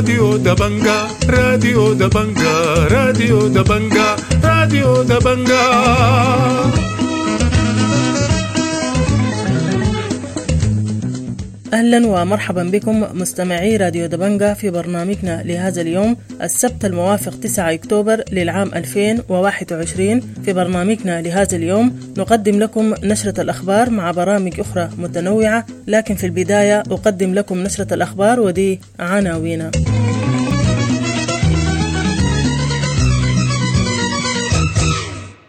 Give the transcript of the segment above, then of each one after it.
راديو دبنجا، راديو دبنجا، راديو دبنجا، راديو دبنجا. أهلا ومرحبا بكم مستمعي راديو دبنجا في برنامجنا لهذا اليوم السبت الموافق 9 أكتوبر للعام 2021. في برنامجنا لهذا اليوم نقدم لكم نشرة الأخبار مع برامج أخرى متنوعة، لكن في البداية أقدم لكم نشرة الأخبار ودي عناوينها.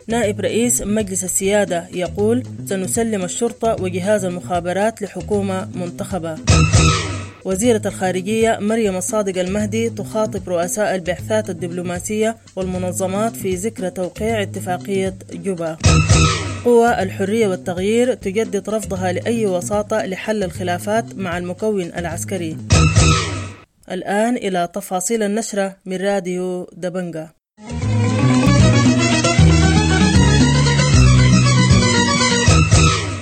نائب رئيس مجلس السيادة يقول: سنسلم الشرطة وجهاز المخابرات لحكومة منتخبة. وزيرة الخارجية مريم الصادق المهدي تخاطب رؤساء البعثات الدبلوماسية والمنظمات في ذكرى توقيع اتفاقية جوبا. قوى الحرية والتغيير تجدد رفضها لأي وساطة لحل الخلافات مع المكون العسكري. الآن إلى تفاصيل النشرة من راديو دبنجا.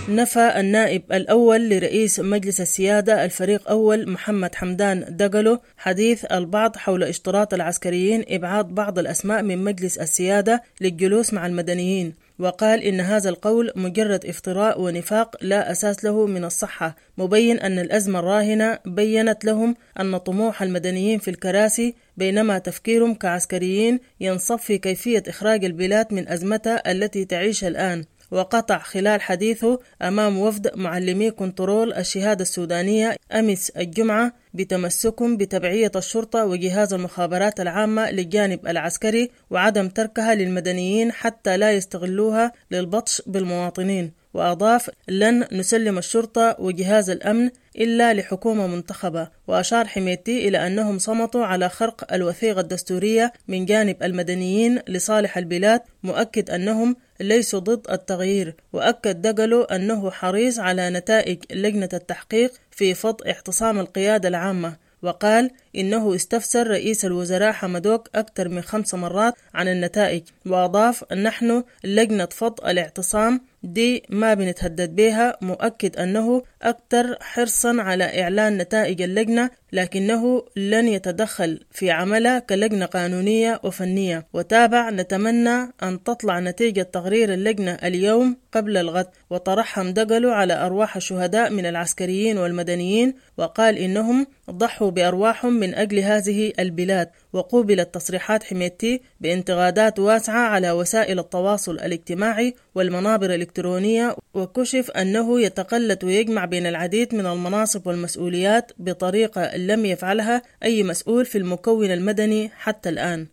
نفى النائب الأول لرئيس مجلس السيادة الفريق أول محمد حمدان دقلو حديث البعض حول اشتراط العسكريين إبعاد بعض الأسماء من مجلس السيادة للجلوس مع المدنيين، وقال إن هذا القول مجرد افتراء ونفاق لا أساس له من الصحة، مبين أن الأزمة الراهنة بيّنت لهم أن طموح المدنيين في الكراسي بينما تفكيرهم كعسكريين ينصب في كيفية إخراج البلاد من أزمتها التي تعيش الآن. وقطع خلال حديثه أمام وفد معلمي كنترول الشهادة السودانية أمس الجمعة بتمسكهم بتبعية الشرطة وجهاز المخابرات العامة للجانب العسكري وعدم تركها للمدنيين حتى لا يستغلوها للبطش بالمواطنين. وأضاف: لن نسلم الشرطة وجهاز الأمن إلا لحكومة منتخبة. وأشار حميدتي إلى أنهم صمتوا على خرق الوثيقة الدستورية من جانب المدنيين لصالح البلاد، مؤكد أنهم ليسوا ضد التغيير. وأكد دقلو أنه حريص على نتائج لجنة التحقيق في فض اعتصام القيادة العامة، وقال إنه استفسر رئيس الوزراء حمدوك أكثر من 5 مرات عن النتائج. وأضاف: نحن لجنة فض الاعتصام دي ما بنتهدد بها، مؤكد أنه أكثر حرصا على إعلان نتائج اللجنة لكنه لن يتدخل في عملها كلجنة قانونية وفنية. وتابع: نتمنى أن تطلع نتيجة تقرير اللجنة اليوم قبل الغد. وترحم دقلو على أرواح الشهداء من العسكريين والمدنيين، وقال إنهم ضحوا بأرواحهم من أجل هذه البلاد. وقوبلت تصريحات حميدتي بانتقادات واسعة على وسائل التواصل الاجتماعي والمنابر الإلكترونية، وكشف أنه يتقلد ويجمع بين العديد من المناصب والمسؤوليات بطريقة لم يفعلها أي مسؤول في المكون المدني حتى الآن.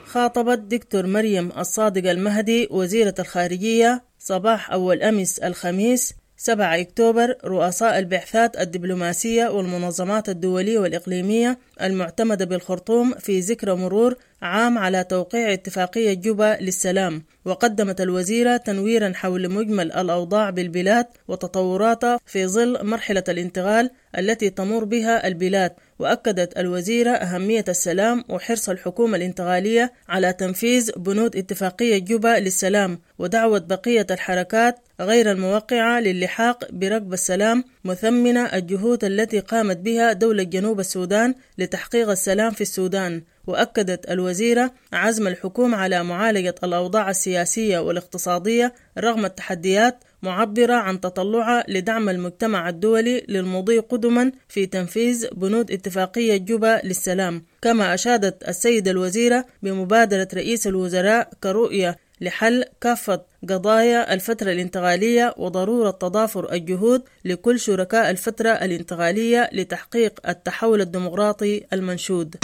خاطبت دكتور مريم الصادق المهدي وزيرة الخارجية صباح أول أمس الخميس 7 أكتوبر رؤساء البعثات الدبلوماسية والمنظمات الدولية والإقليمية المعتمدة بالخرطوم في ذكرى مرور عام على توقيع اتفاقية جوبا للسلام. وقدمت الوزيرة تنويرا حول مجمل الأوضاع بالبلاد وتطوراتها في ظل مرحلة الانتقال التي تمر بها البلاد. وأكدت الوزيرة أهمية السلام وحرص الحكومة الانتقالية على تنفيذ بنود اتفاقية جوبا للسلام، ودعوة بقية الحركات غير الموقعة للحاق بركب السلام، مثمنة الجهود التي قامت بها دولة جنوب السودان لتحقيق السلام في السودان. وأكدت الوزيرة عزم الحكومة على معالجة الأوضاع السياسية والاقتصادية رغم التحديات، معبرة عن تطلعها لدعم المجتمع الدولي للمضي قدما في تنفيذ بنود اتفاقية جوبا للسلام. كما أشادت السيدة الوزيرة بمبادرة رئيس الوزراء كرؤية لحل كافة قضايا الفترة الانتقالية وضرورة تضافر الجهود لكل شركاء الفترة الانتقالية لتحقيق التحول الديمقراطي المنشود.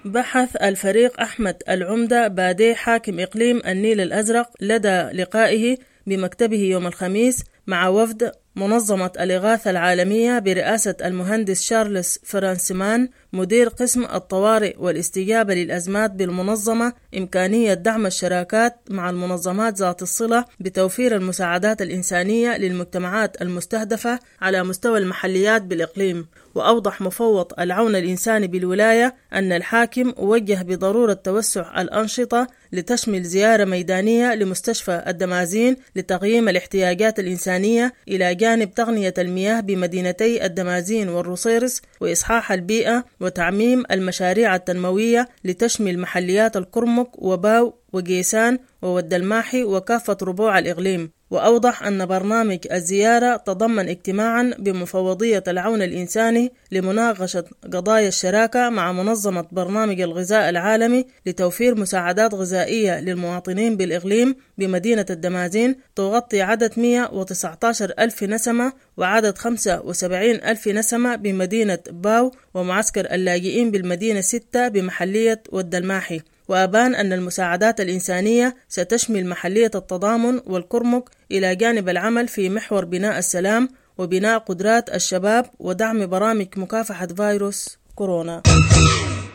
بحث الفريق أحمد العمدة بادي حاكم إقليم النيل الأزرق لدى لقائه بمكتبه يوم الخميس مع وفد منظمة الإغاثة العالمية برئاسة المهندس شارلز فرانسمان مدير قسم الطوارئ والاستجابة للأزمات بالمنظمة إمكانية دعم الشراكات مع المنظمات ذات الصلة بتوفير المساعدات الإنسانية للمجتمعات المستهدفة على مستوى المحليات بالإقليم. وأوضح مفوض العون الإنساني بالولاية أن الحاكم وجه بضرورة توسع الأنشطة لتشمل زيارة ميدانية لمستشفى الدمازين لتقييم الاحتياجات الإنسانية إلى جانب تغنية المياه بمدينتي الدمازين والروصيرص وإصحاح البيئة وتعميم المشاريع التنموية لتشمل محليات الكرمك وباو وقيسان وود الماحي وكافة ربوع الإقليم. وأوضح أن برنامج الزيارة تضمن اجتماعا بمفوضية العون الإنساني لمناقشة قضايا الشراكة مع منظمة برنامج الغذاء العالمي لتوفير مساعدات غذائية للمواطنين بالإقليم بمدينة الدمازين تغطي عدد 119 ألف نسمة وعدد 75 ألف نسمة بمدينة باو ومعسكر اللاجئين بالمدينة 6 بمحلية ود الماحي. وأبان أن المساعدات الإنسانية ستشمل محلية التضامن والكرمك إلى جانب العمل في محور بناء السلام وبناء قدرات الشباب ودعم برامج مكافحة فيروس كورونا.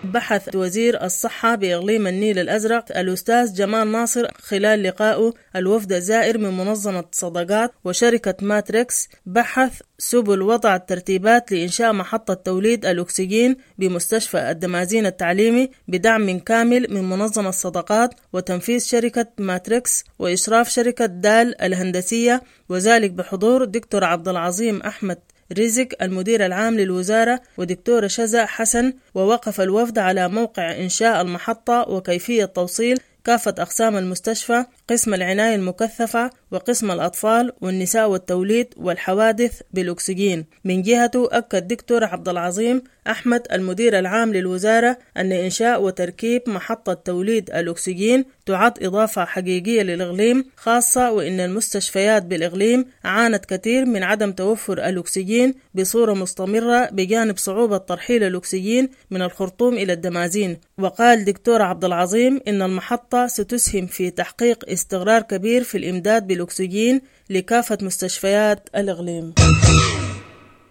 بحث وزير الصحة بإقليم النيل الأزرق الأستاذ جمال ناصر خلال لقائه الوفد الزائر من منظمة صدقات وشركة ماتريكس بحث سبل وضع الترتيبات لإنشاء محطة توليد الأكسجين بمستشفى الدمازين التعليمي بدعم كامل من منظمة صدقات وتنفيذ شركة ماتريكس وإشراف شركة دال الهندسية، وذلك بحضور دكتور عبد العظيم أحمد رزق المدير العام للوزارة ودكتورة شذا حسن. ووقف الوفد على موقع إنشاء المحطة وكيفية توصيل كافة أقسام المستشفى، قسم العناية المكثفة وقسم الأطفال والنساء والتوليد والحوادث بالأكسجين. من جهته أكد دكتور عبد العظيم أحمد المدير العام للوزارة أن إنشاء وتركيب محطة توليد الأكسجين تعد إضافة حقيقية للإقليم، خاصة وإن المستشفيات بالإقليم عانت كثير من عدم توفر الأكسجين بصورة مستمرة بجانب صعوبة ترحيل الأكسجين من الخرطوم إلى الدمازين. وقال دكتور عبد العظيم إن المحطة ستسهم في تحقيق استقرار كبير في الإمداد بالأكسجين لكافة مستشفيات الإقليم.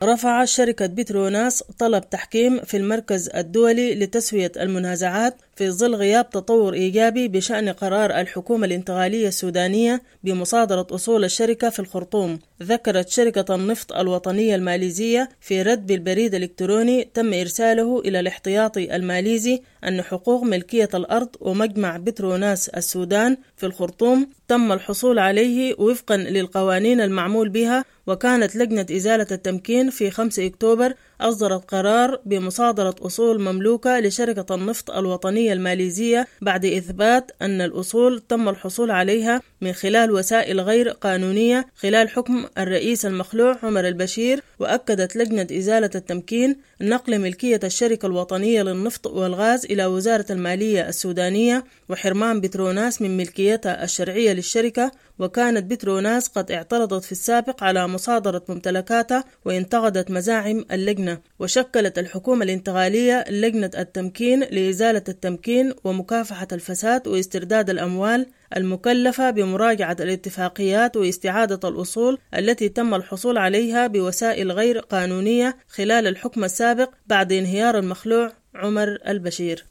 رفع شركة بتروناس طلب تحكيم في المركز الدولي لتسوية المنازعات في ظل غياب تطور إيجابي بشأن قرار الحكومة الانتقالية السودانية بمصادرة أصول الشركة في الخرطوم. ذكرت شركة النفط الوطنية الماليزية في رد بالبريد الإلكتروني تم إرساله إلى الاحتياطي الماليزي أن حقوق ملكية الأرض ومجمع بتروناس السودان في الخرطوم تم الحصول عليه وفقا للقوانين المعمول بها. وكانت لجنة إزالة التمكين في 5 أكتوبر أصدرت قرار بمصادرة أصول مملوكة لشركة النفط الوطنية الماليزية بعد إثبات أن الأصول تم الحصول عليها من خلال وسائل غير قانونية خلال حكم الرئيس المخلوع عمر البشير. وأكدت لجنة إزالة التمكين نقل ملكية الشركة الوطنية للنفط والغاز إلى وزارة المالية السودانية وحرمان بتروناس من ملكيتها الشرعية للشركة. وكانت بتروناس قد اعترضت في السابق على مصادرة ممتلكاتها وانتقدت مزاعم اللجنة. وشكلت الحكومة الانتقالية لجنة التمكين لإزالة التمكين ومكافحة الفساد واسترداد الأموال المكلفة بمراجعة الاتفاقيات واستعادة الأصول التي تم الحصول عليها بوسائل غير قانونية خلال الحكم السابق بعد انهيار المخلوع عمر البشير.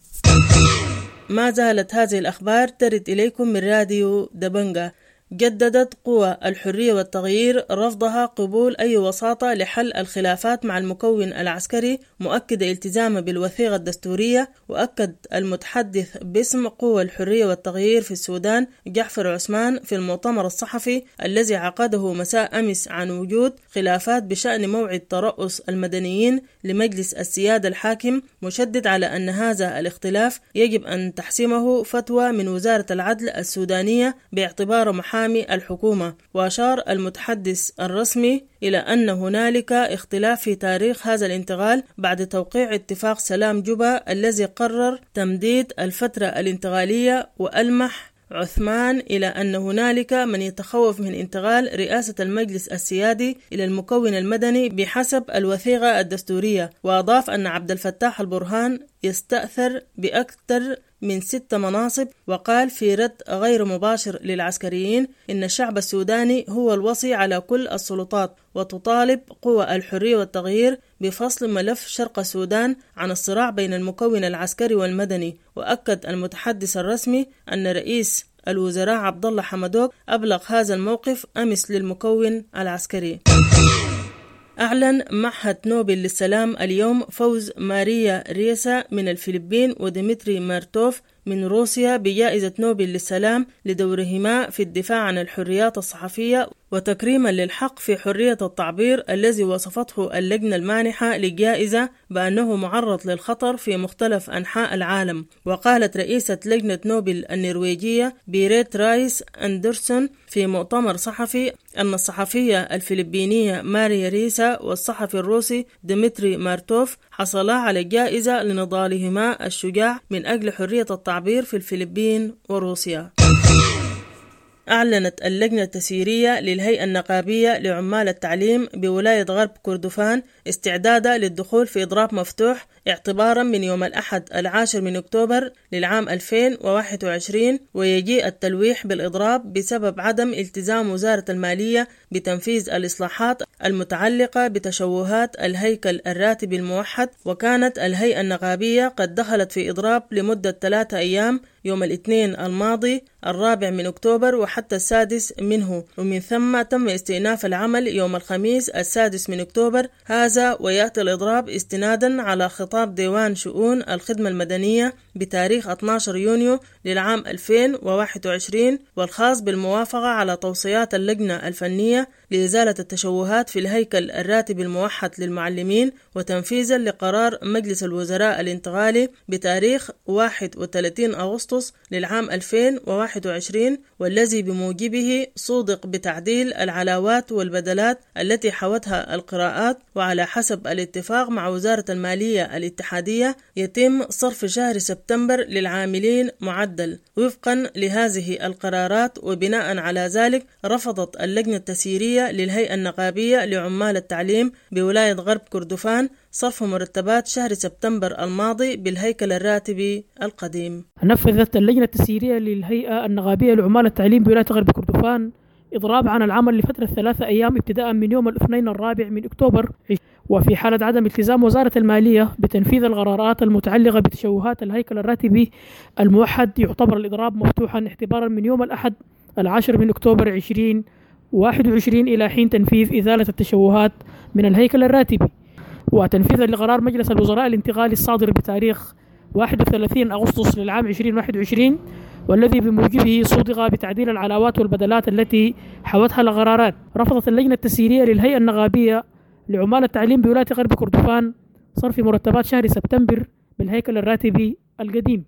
ما زالت هذه الأخبار ترد إليكم من راديو دبنجة. جددت قوى الحرية والتغيير رفضها قبول أي وساطة لحل الخلافات مع المكون العسكري، مؤكدة التزامه بالوثيقة الدستورية. وأكد المتحدث باسم قوى الحرية والتغيير في السودان جعفر عثمان في المؤتمر الصحفي الذي عقده مساء أمس عن وجود خلافات بشأن موعد ترأس المدنيين لمجلس السيادة الحاكم، مشدد على أن هذا الاختلاف يجب أن تحسمه فتوى من وزارة العدل السودانية باعتباره محامي الحكومة. وأشار المتحدث الرسمي إلى أن هنالك اختلاف في تاريخ هذا الانتقال بعد توقيع اتفاق سلام جوبا الذي قرر تمديد الفترة الانتقالية. وألمح عثمان إلى أن هنالك من يتخوف من انتقال رئاسة المجلس السيادي إلى المكون المدني بحسب الوثيقة الدستورية. وأضاف أن عبد الفتاح البرهان يستأثر بأكثر من 6 مناصب. وقال في رد غير مباشر للعسكريين إن الشعب السوداني هو الوصي على كل السلطات، وتطالب قوى الحرية والتغيير بفصل ملف شرق السودان عن الصراع بين المكون العسكري والمدني. وأكد المتحدث الرسمي أن رئيس الوزراء عبد الله حمدوك أبلغ هذا الموقف أمس للمكون العسكري. أعلن معهد نوبل للسلام اليوم فوز ماريا ريسا من الفلبين وديمتري مارتوف من روسيا بجائزة نوبل للسلام لدورهما في الدفاع عن الحريات الصحفية وتكريما للحق في حرية التعبير الذي وصفته اللجنة المانحة للجائزة بأنه معرض للخطر في مختلف أنحاء العالم. وقالت رئيسة لجنة نوبل النرويجية بيريت رايس أندرسون في مؤتمر صحفي أن الصحفية الفلبينية ماريا ريسا والصحفي الروسي ديمتري مارتوف حصلا على الجائزة لنضالهما الشجاع من أجل حرية التعبير في الفلبين وروسيا. أعلنت اللجنة التسييرية للهيئة النقابية لعمال التعليم بولاية غرب كردفان استعدادها للدخول في إضراب مفتوح اعتبارا من يوم الأحد 10 من أكتوبر للعام 2021، ويجيء التلويح بالإضراب بسبب عدم التزام وزارة المالية بتنفيذ الإصلاحات المتعلقة بتشوهات الهيكل الراتبي الموحد. وكانت الهيئة النقابية قد دخلت في إضراب لمدة 3 أيام يوم الاثنين الماضي 4 من أكتوبر وحتى 6 منه، ومن ثم تم استئناف العمل يوم الخميس 6 من أكتوبر هذا. ويأتي الإضراب استنادا على خطاب ديوان شؤون الخدمة المدنية بتاريخ 12 يونيو للعام 2021 والخاص بالموافقة على توصيات اللجنة الفنية لإزالة التشوهات في الهيكل الراتبي الموحد للمعلمين، وتنفيذا لقرار مجلس الوزراء الانتقالي بتاريخ 31 أغسطس للعام 2021 والذي بموجبه صودق بتعديل العلاوات والبدلات التي حوتها القراءات. وعلى حسب الاتفاق مع وزارة المالية الاتحادية يتم صرف شهر سبتمبر للعاملين معدل وفقا لهذه القرارات. وبناء على ذلك رفضت اللجنة التسييرية للهيئة النقابية لعمال التعليم بولاية غرب كردفان صرف مرتبات شهر سبتمبر الماضي بالهيكل الراتبي القديم. نفذت اللجنة التسييرية للهيئة النقابية لعمال التعليم بولاية غرب كردفان إضراب عن العمل لفترة 3 أيام ابتداء من يوم الاثنين 4 من أكتوبر، وفي حالة عدم التزام وزارة المالية بتنفيذ القرارات المتعلقة بتشوهات الهيكل الراتبي الموحد يعتبر الإضراب مفتوحا اعتبارا من يوم الأحد 10 من أكتوبر 2021 إلى حين تنفيذ إزالة التشوهات من الهيكل الراتبي، وتنفيذا لقرار مجلس الوزراء الانتقالي الصادر بتاريخ 31 أغسطس للعام 2021 والذي بموجبه صودق بتعديل العلاوات والبدلات التي حوتها القرارات. رفضت اللجنة التسييرية للهيئة النقابية لعمال التعليم بولاية غرب كردفان صرف مرتبات شهر سبتمبر بالهيكل الراتبي القديم.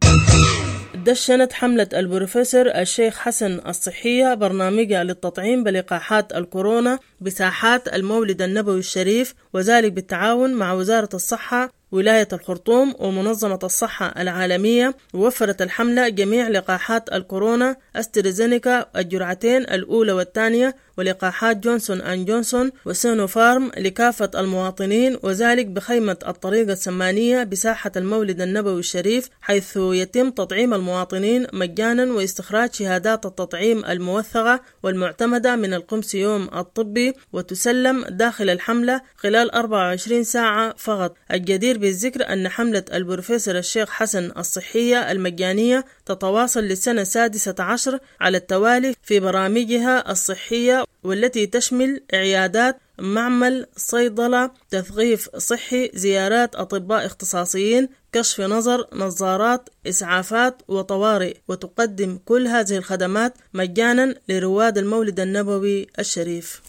دشنت حملة البروفيسور الشيخ حسن الصحية برنامجها للتطعيم بلقاحات الكورونا بساحات المولد النبوي الشريف، وذلك بالتعاون مع وزارة الصحة ولاية الخرطوم ومنظمة الصحة العالمية. ووفرت الحملة جميع لقاحات الكورونا أسترازينيكا الجرعتين الأولى والثانية ولقاحات جونسون أند جونسون وسينوفارم لكافة المواطنين، وذلك بخيمة الطريقة السمانية بساحة المولد النبوي الشريف، حيث يتم تطعيم المواطنين مجانا واستخراج شهادات التطعيم الموثقة والمعتمدة من القمسيوم الطبي، وتسلم داخل الحملة خلال 24 ساعة فقط. الجدير بالذكر أن حملة البروفيسور الشيخ حسن الصحية المجانية تتواصل للسنة 16 على التوالي في برامجها الصحية، والتي تشمل عيادات، معمل، صيدلة، تثقيف صحي، زيارات أطباء اختصاصيين، كشف نظر، نظارات، إسعافات وطوارئ. وتقدم كل هذه الخدمات مجانا لرواد المولد النبوي الشريف.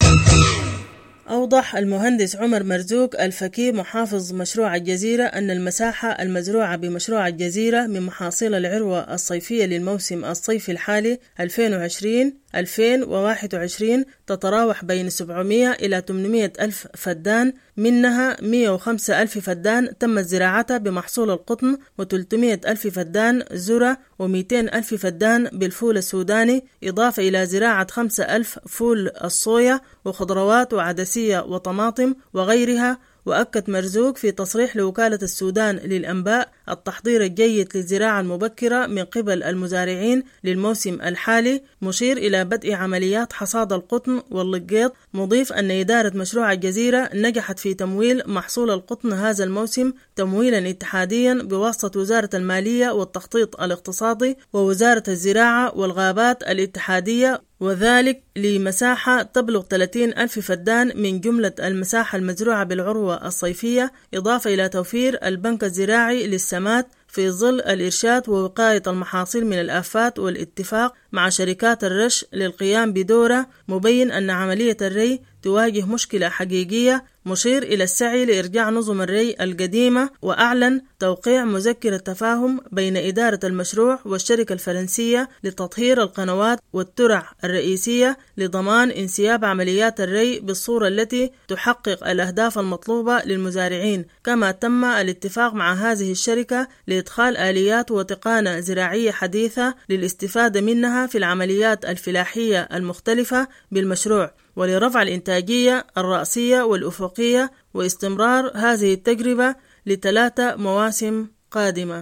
أوضح المهندس عمر مرزوق الفكي محافظ مشروع الجزيرة أن المساحة المزروعة بمشروع الجزيرة من محاصيل العروة الصيفية للموسم الصيفي الحالي 2020-2021 تتراوح بين 700 إلى 800 ألف فدان، منها 105 ألف فدان تم زراعتها بمحصول القطن، و300 ألف فدان ذرة، و200 ألف فدان بالفول السوداني، إضافة إلى زراعة 5 ألف فول الصويا وخضروات وعدسية وطماطم وغيرها. وأكد مرزوق في تصريح لوكالة السودان للأنباء التحضير الجيد للزراعة المبكرة من قبل المزارعين للموسم الحالي، مشير إلى بدء عمليات حصاد القطن واللقيط، مضيف أن إدارة مشروع الجزيرة نجحت في تمويل محصول القطن هذا الموسم تمويلا اتحاديا بواسطة وزارة المالية والتخطيط الاقتصادي ووزارة الزراعة والغابات الاتحادية، وذلك لمساحة تبلغ 30 ألف فدان من جملة المساحة المزروعة بالعروة الصيفية، إضافة إلى توفير البنك الزراعي للسمات في ظل الإرشاد ووقاية المحاصيل من الآفات والاتفاق مع شركات الرش للقيام بدورة، مبين أن عملية الري تواجه مشكلة حقيقية، مشير إلى السعي لإرجاع نظم الري القديمة. وأعلن توقيع مذكرة تفاهم بين إدارة المشروع والشركة الفرنسية لتطهير القنوات والترع الرئيسية لضمان انسياب عمليات الري بالصورة التي تحقق الأهداف المطلوبة للمزارعين. كما تم الاتفاق مع هذه الشركة لإدخال آليات وتقانة زراعية حديثة للاستفادة منها في العمليات الفلاحية المختلفة بالمشروع، ولرفع الإنتاجية الرأسية والأفقية، واستمرار هذه التجربة ل3 مواسم قادمة.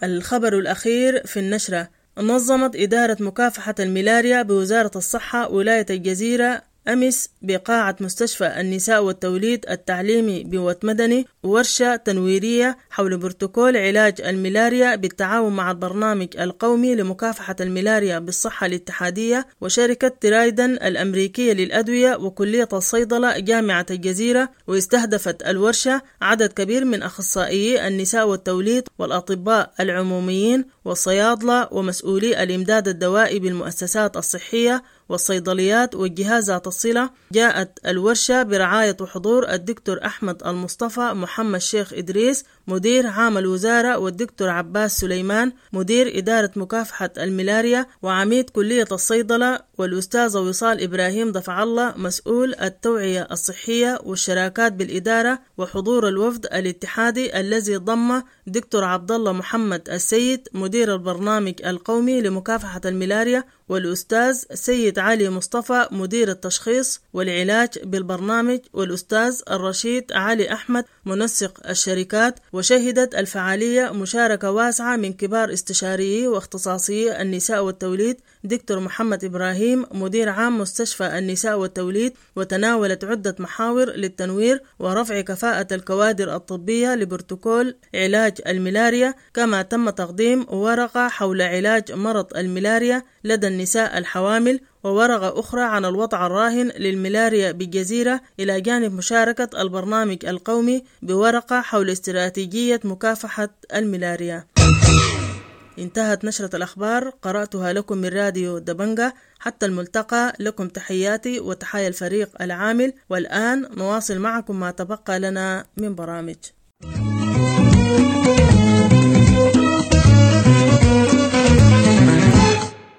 الخبر الأخير في النشرة: نظمت إدارة مكافحة الملاريا بوزارة الصحة ولاية الجزيرة أمس بقاعة مستشفى النساء والتوليد التعليمي بوت مدني ورشة تنويرية حول بروتوكول علاج الملاريا بالتعاون مع البرنامج القومي لمكافحة الملاريا بالصحة الاتحادية وشركة ترايدن الأمريكية للأدوية وكلية الصيدلة جامعة الجزيرة. واستهدفت الورشة عدد كبير من أخصائيي النساء والتوليد والأطباء العموميين والصيادلة ومسؤولي الإمداد الدوائي بالمؤسسات الصحية والصيدليات والجهات ذات الصلة. جاءت الورشة برعاية وحضور الدكتور أحمد المصطفى محمد شيخ إدريس مدير عام الوزارة، والدكتور عباس سليمان مدير إدارة مكافحة الملاريا وعميد كلية الصيدلة، والأستاذة وصال إبراهيم دفع الله مسؤول التوعية الصحية والشراكات بالإدارة، وحضور الوفد الاتحادي الذي ضم دكتور عبد الله محمد السيد مدير البرنامج القومي لمكافحة الملاريا، والأستاذ سيد علي مصطفى مدير التشخيص والعلاج بالبرنامج، والأستاذ الرشيد علي أحمد منسق الشركات. وشهدت الفعالية مشاركة واسعة من كبار استشاريي واختصاصيي النساء والتوليد دكتور محمد إبراهيم مدير عام مستشفى النساء والتوليد، وتناولت عدة محاور للتنوير ورفع كفاءة الكوادر الطبية لبروتوكول علاج الملاريا. كما تم تقديم ورقة حول علاج مرض الملاريا لدى النساء الحوامل، وورقة أخرى عن الوضع الراهن للملاريا بالجزيرة، إلى جانب مشاركة البرنامج القومي بورقة حول استراتيجية مكافحة الملاريا. انتهت نشرة الأخبار، قرأتها لكم من راديو دبنجة. حتى الملتقى، لكم تحياتي وتحايا الفريق العامل، والآن نواصل معكم ما تبقى لنا من برامج.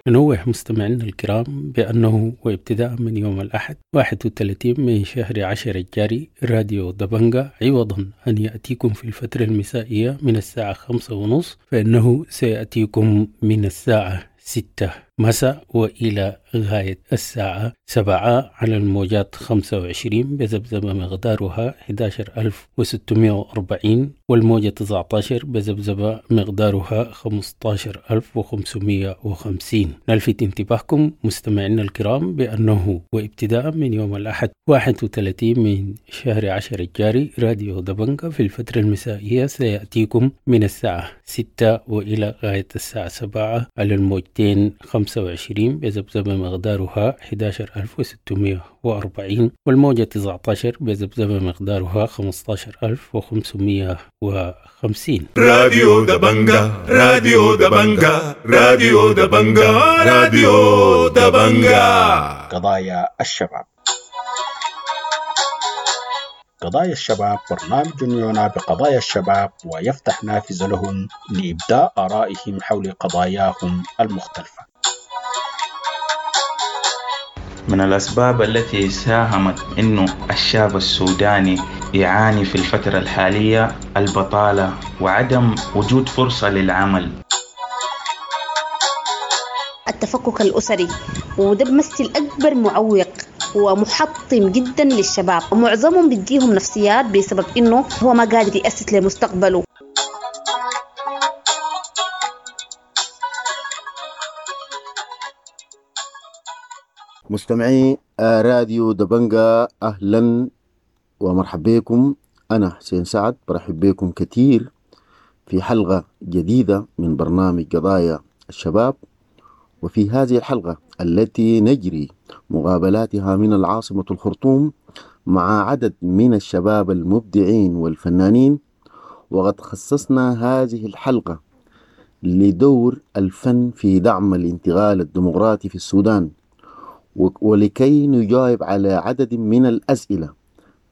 ننوه مستمعينا الكرام بأنه وابتداء من يوم الأحد 31 من شهر 10 الجاري راديو دبنجة عوضا أن يأتيكم في الفترة المسائية من الساعة 5:30 فإنه سيأتيكم من الساعة 6 مساء وإلى غاية الساعة 7 على الموجات 25 بذبذبة مقدارها 11640، والموجة 19 بذبذبة مقدارها 15550. نلفت انتباهكم مستمعينا الكرام بأنه وابتداء من يوم الأحد 31 من شهر 10 الجاري راديو دبنجة في الفترة المسائية سيأتيكم من الساعة 6 وإلى غاية الساعة 7 على الموجتين 25 بذبذبة مقدارها 11640، والموجة 19 بذبذبة مقدارها 15550. راديو دبنجة، راديو دبنجة، راديو دبنجة، راديو دبنجة. قضايا الشباب. قضايا الشباب برنامج يعنى بقضايا الشباب ويفتح نافذة لهم لإبداء آرائهم حول قضاياهم المختلفة. من الأسباب التي ساهمت أنه الشاب السوداني يعاني في الفترة الحالية البطالة وعدم وجود فرصة للعمل. التفكك الأسري، وده بمثل أكبر معوق ومحطم جدا للشباب، ومعظمهم بتجيهم نفسيات بسبب إنه هو ما قادر يأسس لمستقبله. مستمعي راديو دبنجة، أهلا ومرحبا بكم. أنا حسين سعد برحب بكم كثير في حلقة جديدة من برنامج قضايا الشباب. وفي هذه الحلقة التي نجري مقابلاتها من العاصمة الخرطوم مع عدد من الشباب المبدعين والفنانين، وقد خصصنا هذه الحلقة لدور الفن في دعم الانتقال الديمقراطي في السودان، ولكي نجاوب على عدد من الأسئلة: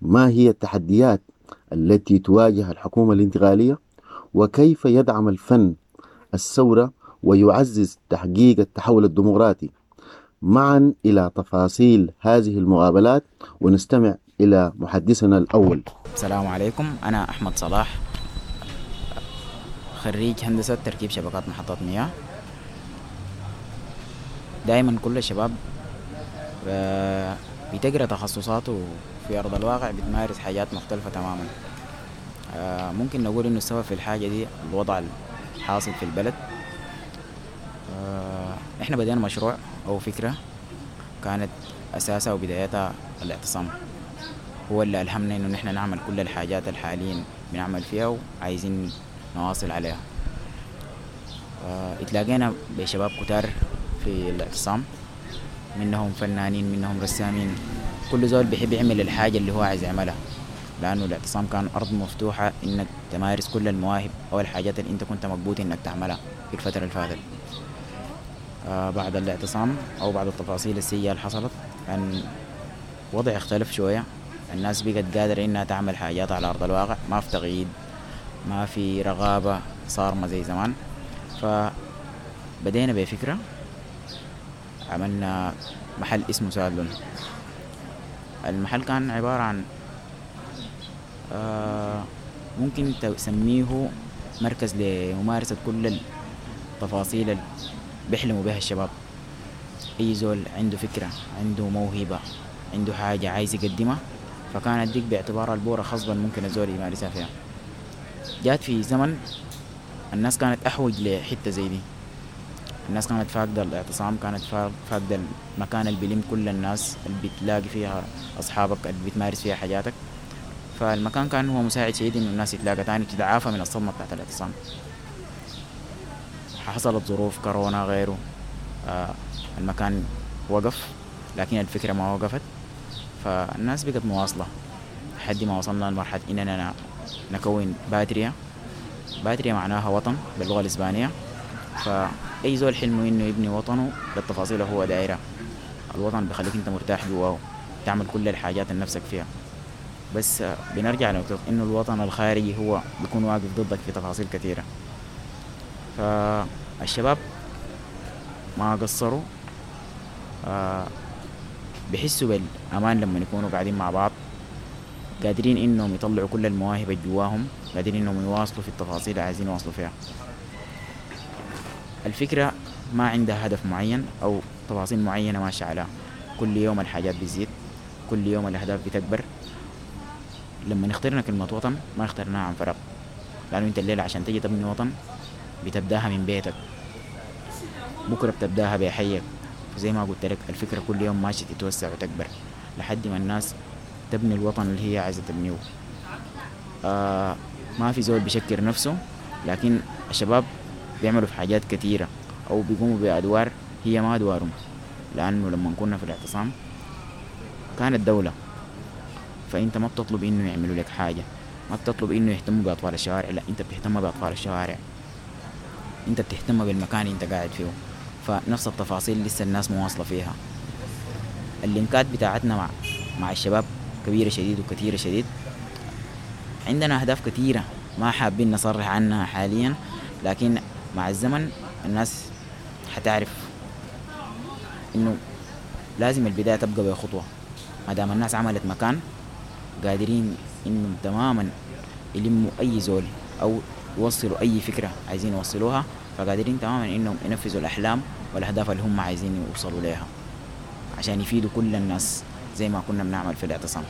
ما هي التحديات التي تواجه الحكومة الانتقالية؟ وكيف يدعم الفن الثورة ويعزز تحقيق التحول الديمقراطي؟ معا إلى تفاصيل هذه المقابلات ونستمع إلى محدثنا الأول. السلام عليكم، أنا أحمد صلاح، خريج هندسة تركيب شبكات محطات مياه. دايما كل الشباب بتقرأ تخصصاته في أرض الواقع بتمارس حاجات مختلفة تماما. ممكن نقول إنه السبب في الحاجة دي الوضع الحاصل في البلد. إحنا بدينا مشروع أو فكرة كانت أساسها وبدايتها الاعتصام، هو اللي ألهمنا إنه نحن نعمل كل الحاجات اللي حاليا بنعمل فيها وعايزين نواصل عليها. اتلاقينا بشباب كتار في الاعتصام، منهم فنانين منهم رسامين، كل زول بيحب يعمل الحاجة اللي هو عايز يعملها، لأنه الاعتصام كان أرض مفتوحة إنك تمارس كل المواهب أو الحاجات اللي أنت كنت مكبوت إنك تعملها في الفترة اللي فاتت. بعد الاعتصام أو بعد التفاصيل السيئة اللي حصلت كان وضع اختلف شوية، الناس بقت قادرة إنها تعمل حاجات على أرض الواقع، ما في تغييد، ما في رغابة صارمة زي زمان. فبدينا بفكرة، عملنا محل اسمه سالون. المحل كان عبارة عن ممكن تسميه مركز لممارسة كل التفاصيل اللي بيحلموا بها الشباب. أي زول عنده فكرة، عنده موهبة، عنده حاجة عايز يقدمها، فكانت ديك باعتبارها البورة خصبا ممكن الزول يمارسها فيها. جات في زمن الناس كانت أحوج لحتة زي دي، الناس كانت فاقدة الاعتصام، كانت فاقدة المكان اللي بيلم كل الناس، اللي بتلاقي فيها أصحابك، اللي بتمارس فيها حاجاتك. فالمكان كان هو مساعد شديد إنه الناس يتلاقى تاني وتتعافى من الصدمة بتاعت الاعتصام. حصلت ظروف كورونا غيره، المكان وقف، لكن الفكرة ما وقفت، فالناس بقت مواصلة لحد ما وصلنا لمرحلة إننا نكون باتريا. باتريا معناها وطن باللغة الإسبانية، فأي زول حلمه إنه يبني وطنه بالتفاصيل هو دايرة. الوطن بخليك أنت مرتاح جواه، تعمل كل الحاجات اللي نفسك فيها. بس بنرجع لنقطة إنه الوطن الخارجي هو بيكون واقف ضدك في تفاصيل كثيرة. فالشباب ما قصروا، بحسوا بالأمان لما يكونوا قاعدين مع بعض، قادرين إنهم يطلعوا كل المواهب اللي جواهم، قادرين إنهم يواصلوا في التفاصيل اللي عايزين يواصلوا فيها. الفكرة ما عندها هدف معين أو تفاصيل معينة ماشية عليها، كل يوم الحاجات بتزيد، كل يوم الأهداف بتكبر. لما اخترنا كلمة وطن ما اخترناها عن فراغ، لأنه أنت الليلة عشان تجي تبني وطن بتبداها من بيتك، بكرة بتبداها بحيك. زي ما قلت لك الفكرة كل يوم ماشية تتوسع وتكبر لحد ما الناس تبني الوطن اللي هي عايزة تبنيه. ما في زول بيشكر نفسه، لكن الشباب بيعملوا في حاجات كثيرة أو بيقوموا بأدوار هي ما أدوارهم. لأنه لما كنا في الاعتصام كانت دولة، فأنت ما بتطلب إنه يعملوا لك حاجة، ما بتطلب إنه يهتموا بأطفال الشوارع، لا أنت بتهتم بأطفال الشوارع، أنت بتهتم بالمكان اللي أنت قاعد فيه. فنفس التفاصيل لسه الناس مواصلة فيها. اللينكات بتاعتنا مع الشباب كبيرة شديد وكثيرة شديد. عندنا أهداف كثيرة ما حابين نصرح عنها حاليا، لكن مع الزمن الناس حتعرف إنه لازم البداية تبقى بخطوة. ما دام الناس عملت مكان قادرين إنهم تماما يلموا أي زول أو يوصلوا أي فكرة عايزين يوصلوها، فقادرين تماما إنهم ينفذوا الأحلام والأهداف اللي هم عايزين يوصلوا لها عشان يفيدوا كل الناس زي ما كنا بنعمل في الاعتصام.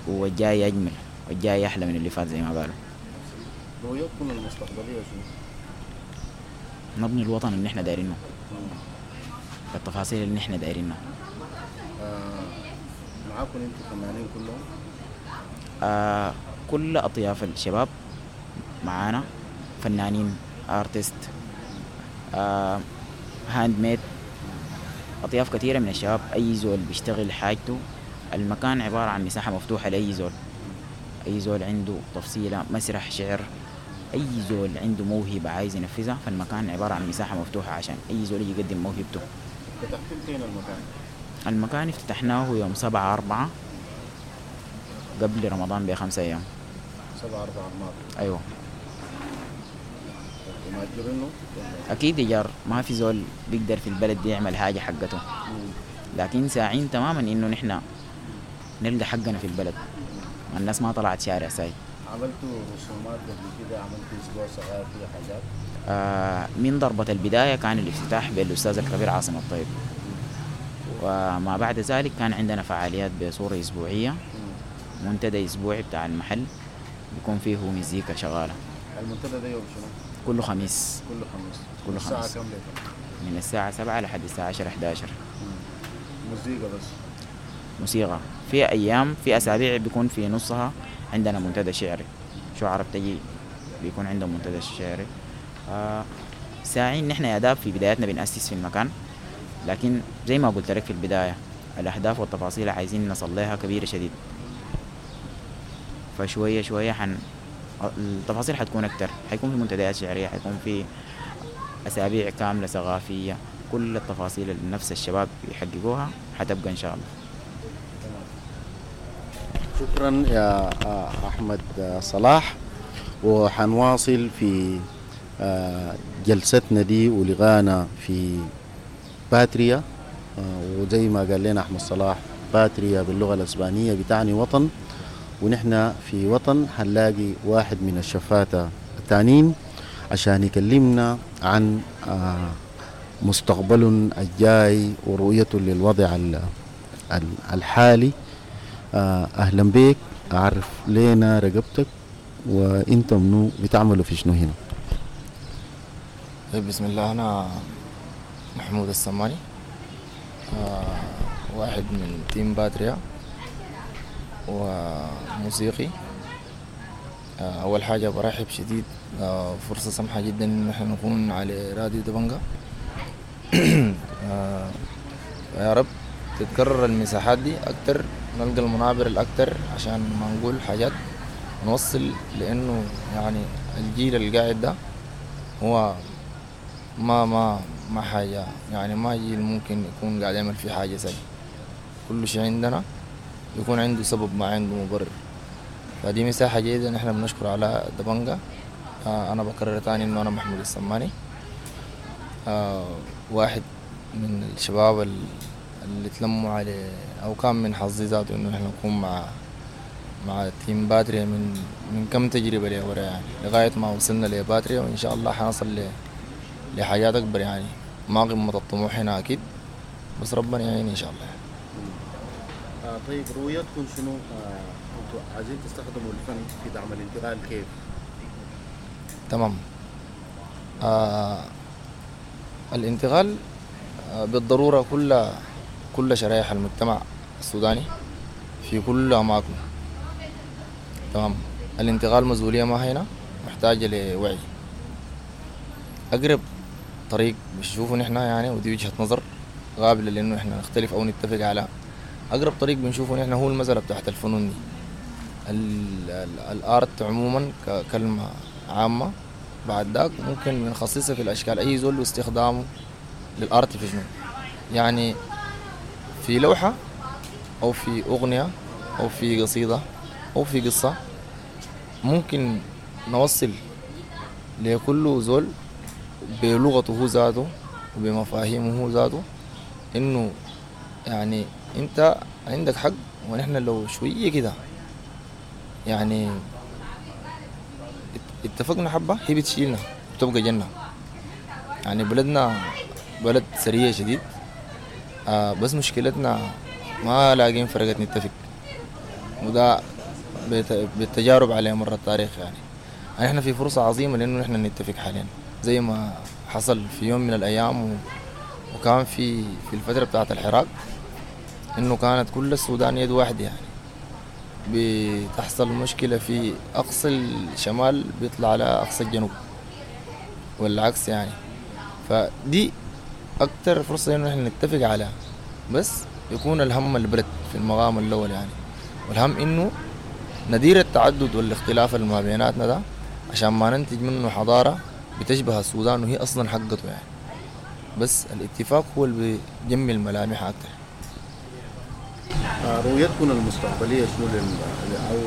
والجاي أجمل والجاي أحلى من اللي فات زي ما قالوا. رؤيتكم المستقبلية شنو؟ نبني الوطن اللي احنا دايرينه بالتفاصيل اللي احنا دايرينها. معاكم انتوا فنانين كلهم؟ كل أطياف الشباب معانا، فنانين، artist، handmade، أطياف كثيرة من الشباب. أي زول بيشتغل حاجته. المكان عبارة عن مساحة مفتوحة لأي زول. أي زول عنده تفصيلة، مسرح، شعر، أي زول عنده موهبة عايز ينفذها، فالمكان عبارة عن مساحة مفتوحة عشان أي زول يجي يقدم موهبته. فتحتوا فين المكان؟ المكان افتتحناه يوم 7/4 قبل رمضان ب5 أيام. 7/4 الماضي. أيوة. ومأجرينه؟ أكيد إيجار، ما في زول بيقدر في البلد دي يعمل حاجة حقته، لكن ساعين تماما إنه نحن نلقى حقنا في البلد. الناس ما طلعت شارع ساي. عملتوا رسومات قبل كده؟ عملتوا أسبوع صغير فيه حاجات؟ من ضربة البداية كان الافتتاح بالأستاذ الكبير عاصم الطيب، وما بعد ذلك كان عندنا فعاليات بصورة أسبوعية، منتدى أسبوعي بتاع المحل بيكون فيه مزيكا شغالة. المنتدى ده يوم شنو؟ كل خميس. كل خميس. كل الساعة خميس. كم لكم؟ من الساعة 7 لحد الساعة 10 11. مزيكا بس؟ موسيقى. في أيام، في أسابيع بيكون في نصها عندنا منتدى شعري، شعراء بتجي بيكون عندهم منتدى شعري. ساعين نحن يا داب في بدايتنا بنأسس في المكان، لكن زي ما قلت لك في البداية الأهداف والتفاصيل عايزين نصل لها كبيرة شديد، فشوية شوية التفاصيل حتكون أكتر. حيكون في منتديات شعرية، حيكون في أسابيع كاملة ثقافية، كل التفاصيل اللي نفس الشباب يحققوها حتبقى إن شاء الله. شكرا يا أحمد صلاح، وحنواصل في جلستنا دي ولغانا في باتريا. وزي ما قال لنا أحمد صلاح، باتريا باللغة الأسبانية بتعني وطن، ونحن في وطن حنلاقي واحد من الشفاتة التانيين عشان يكلمنا عن مستقبل الجاي ورؤيته للوضع الحالي. أهلا بك، أعرف لنا رقبتك وإنت منو، بتعملوا في شنو هنا؟ طيب بسم الله، أنا محمود السماني، واحد من team باتريا وموسيقي. أول حاجة برحب شديد، فرصة سمحة جدا إن احنا نكون على راديو دبنجا. يا رب تتكرر المساحات دي أكتر، نلقى المنابر الأكتر عشان ما نقول حاجات نوصل، لأنه يعني الجيل القاعد ده هو ما ما ما حاجة، يعني ما جيل ممكن يكون قاعد يعمل فيه حاجة سيء. كل شيء عندنا يكون عنده سبب، ما عنده مبرر. فدي مساحة جيدة نحن بنشكر على دبنجا. أنا بكرر تاني إنه أنا محمود السماني، واحد من الشباب اللي تلموا عليه، أو كان من حظي ذاته إنه نحن نكون مع team باتريا من كم تجربة لورا، يعني لغاية ما وصلنا لباتريا، وإن شاء الله حنصل لحاجات أكبر. يعني ما قمة الطموح هنا أكيد، بس ربنا يعين إن شاء الله. طيب رؤيتكم شنو؟ أنتوا عايزين تستخدموا الفن في دعم الانتقال كيف؟ تمام. الانتقال بالضرورة كل شرائح المجتمع السوداني في كل أماكنه. تمام. الانتقال مسؤولية ما هنا، محتاجة لوعي. أقرب طريق بنشوفه نحن يعني، ودي وجهة نظر قابلة لأنه إحنا نختلف أو نتفق على، أقرب طريق بنشوفه نحن هو المسألة بتاعت الفنون دي، الآرت عموما ككلمة عامة. بعد ذاك ممكن بنخصصها في الأشكال، أي زول واستخدامه للآرت في شنو، يعني في لوحة أو في أغنية أو في قصيدة أو في قصة، ممكن نوصل لكل زول بلغته هو ذاته وبمفاهيمه هو ذاته إنه يعني أنت عندك حق، ونحن لو شوية كده يعني اتفقنا حبة هي بتشيلنا بتبقى جنة. يعني بلدنا بلد سرية شديد، بس مشكلتنا ما لاقين فرقة نتفق، وده بالتجارب على مر التاريخ. يعني احنا في فرصة عظيمة لأنه نحن نتفق حاليا زي ما حصل في يوم من الأيام، وكان في الفترة بتاعة الحراك إنه كانت كل السودان يد واحدة. يعني بتحصل مشكلة في أقصى الشمال بيطلع على أقصى الجنوب والعكس يعني. فدي أكتر فرصة إنه نحن نتفق عليها، بس يكون الهم البلد في المقام الأول يعني، والهم إنه ندير التعدد والاختلاف اللي ما بيناتنا ده عشان ما ننتج منه حضارة بتشبه السودان وهي أصلا حقته يعني. بس الاتفاق هو اللي بيجمل ملامحها أكتر. رؤيتكم المستقبلية شنو أو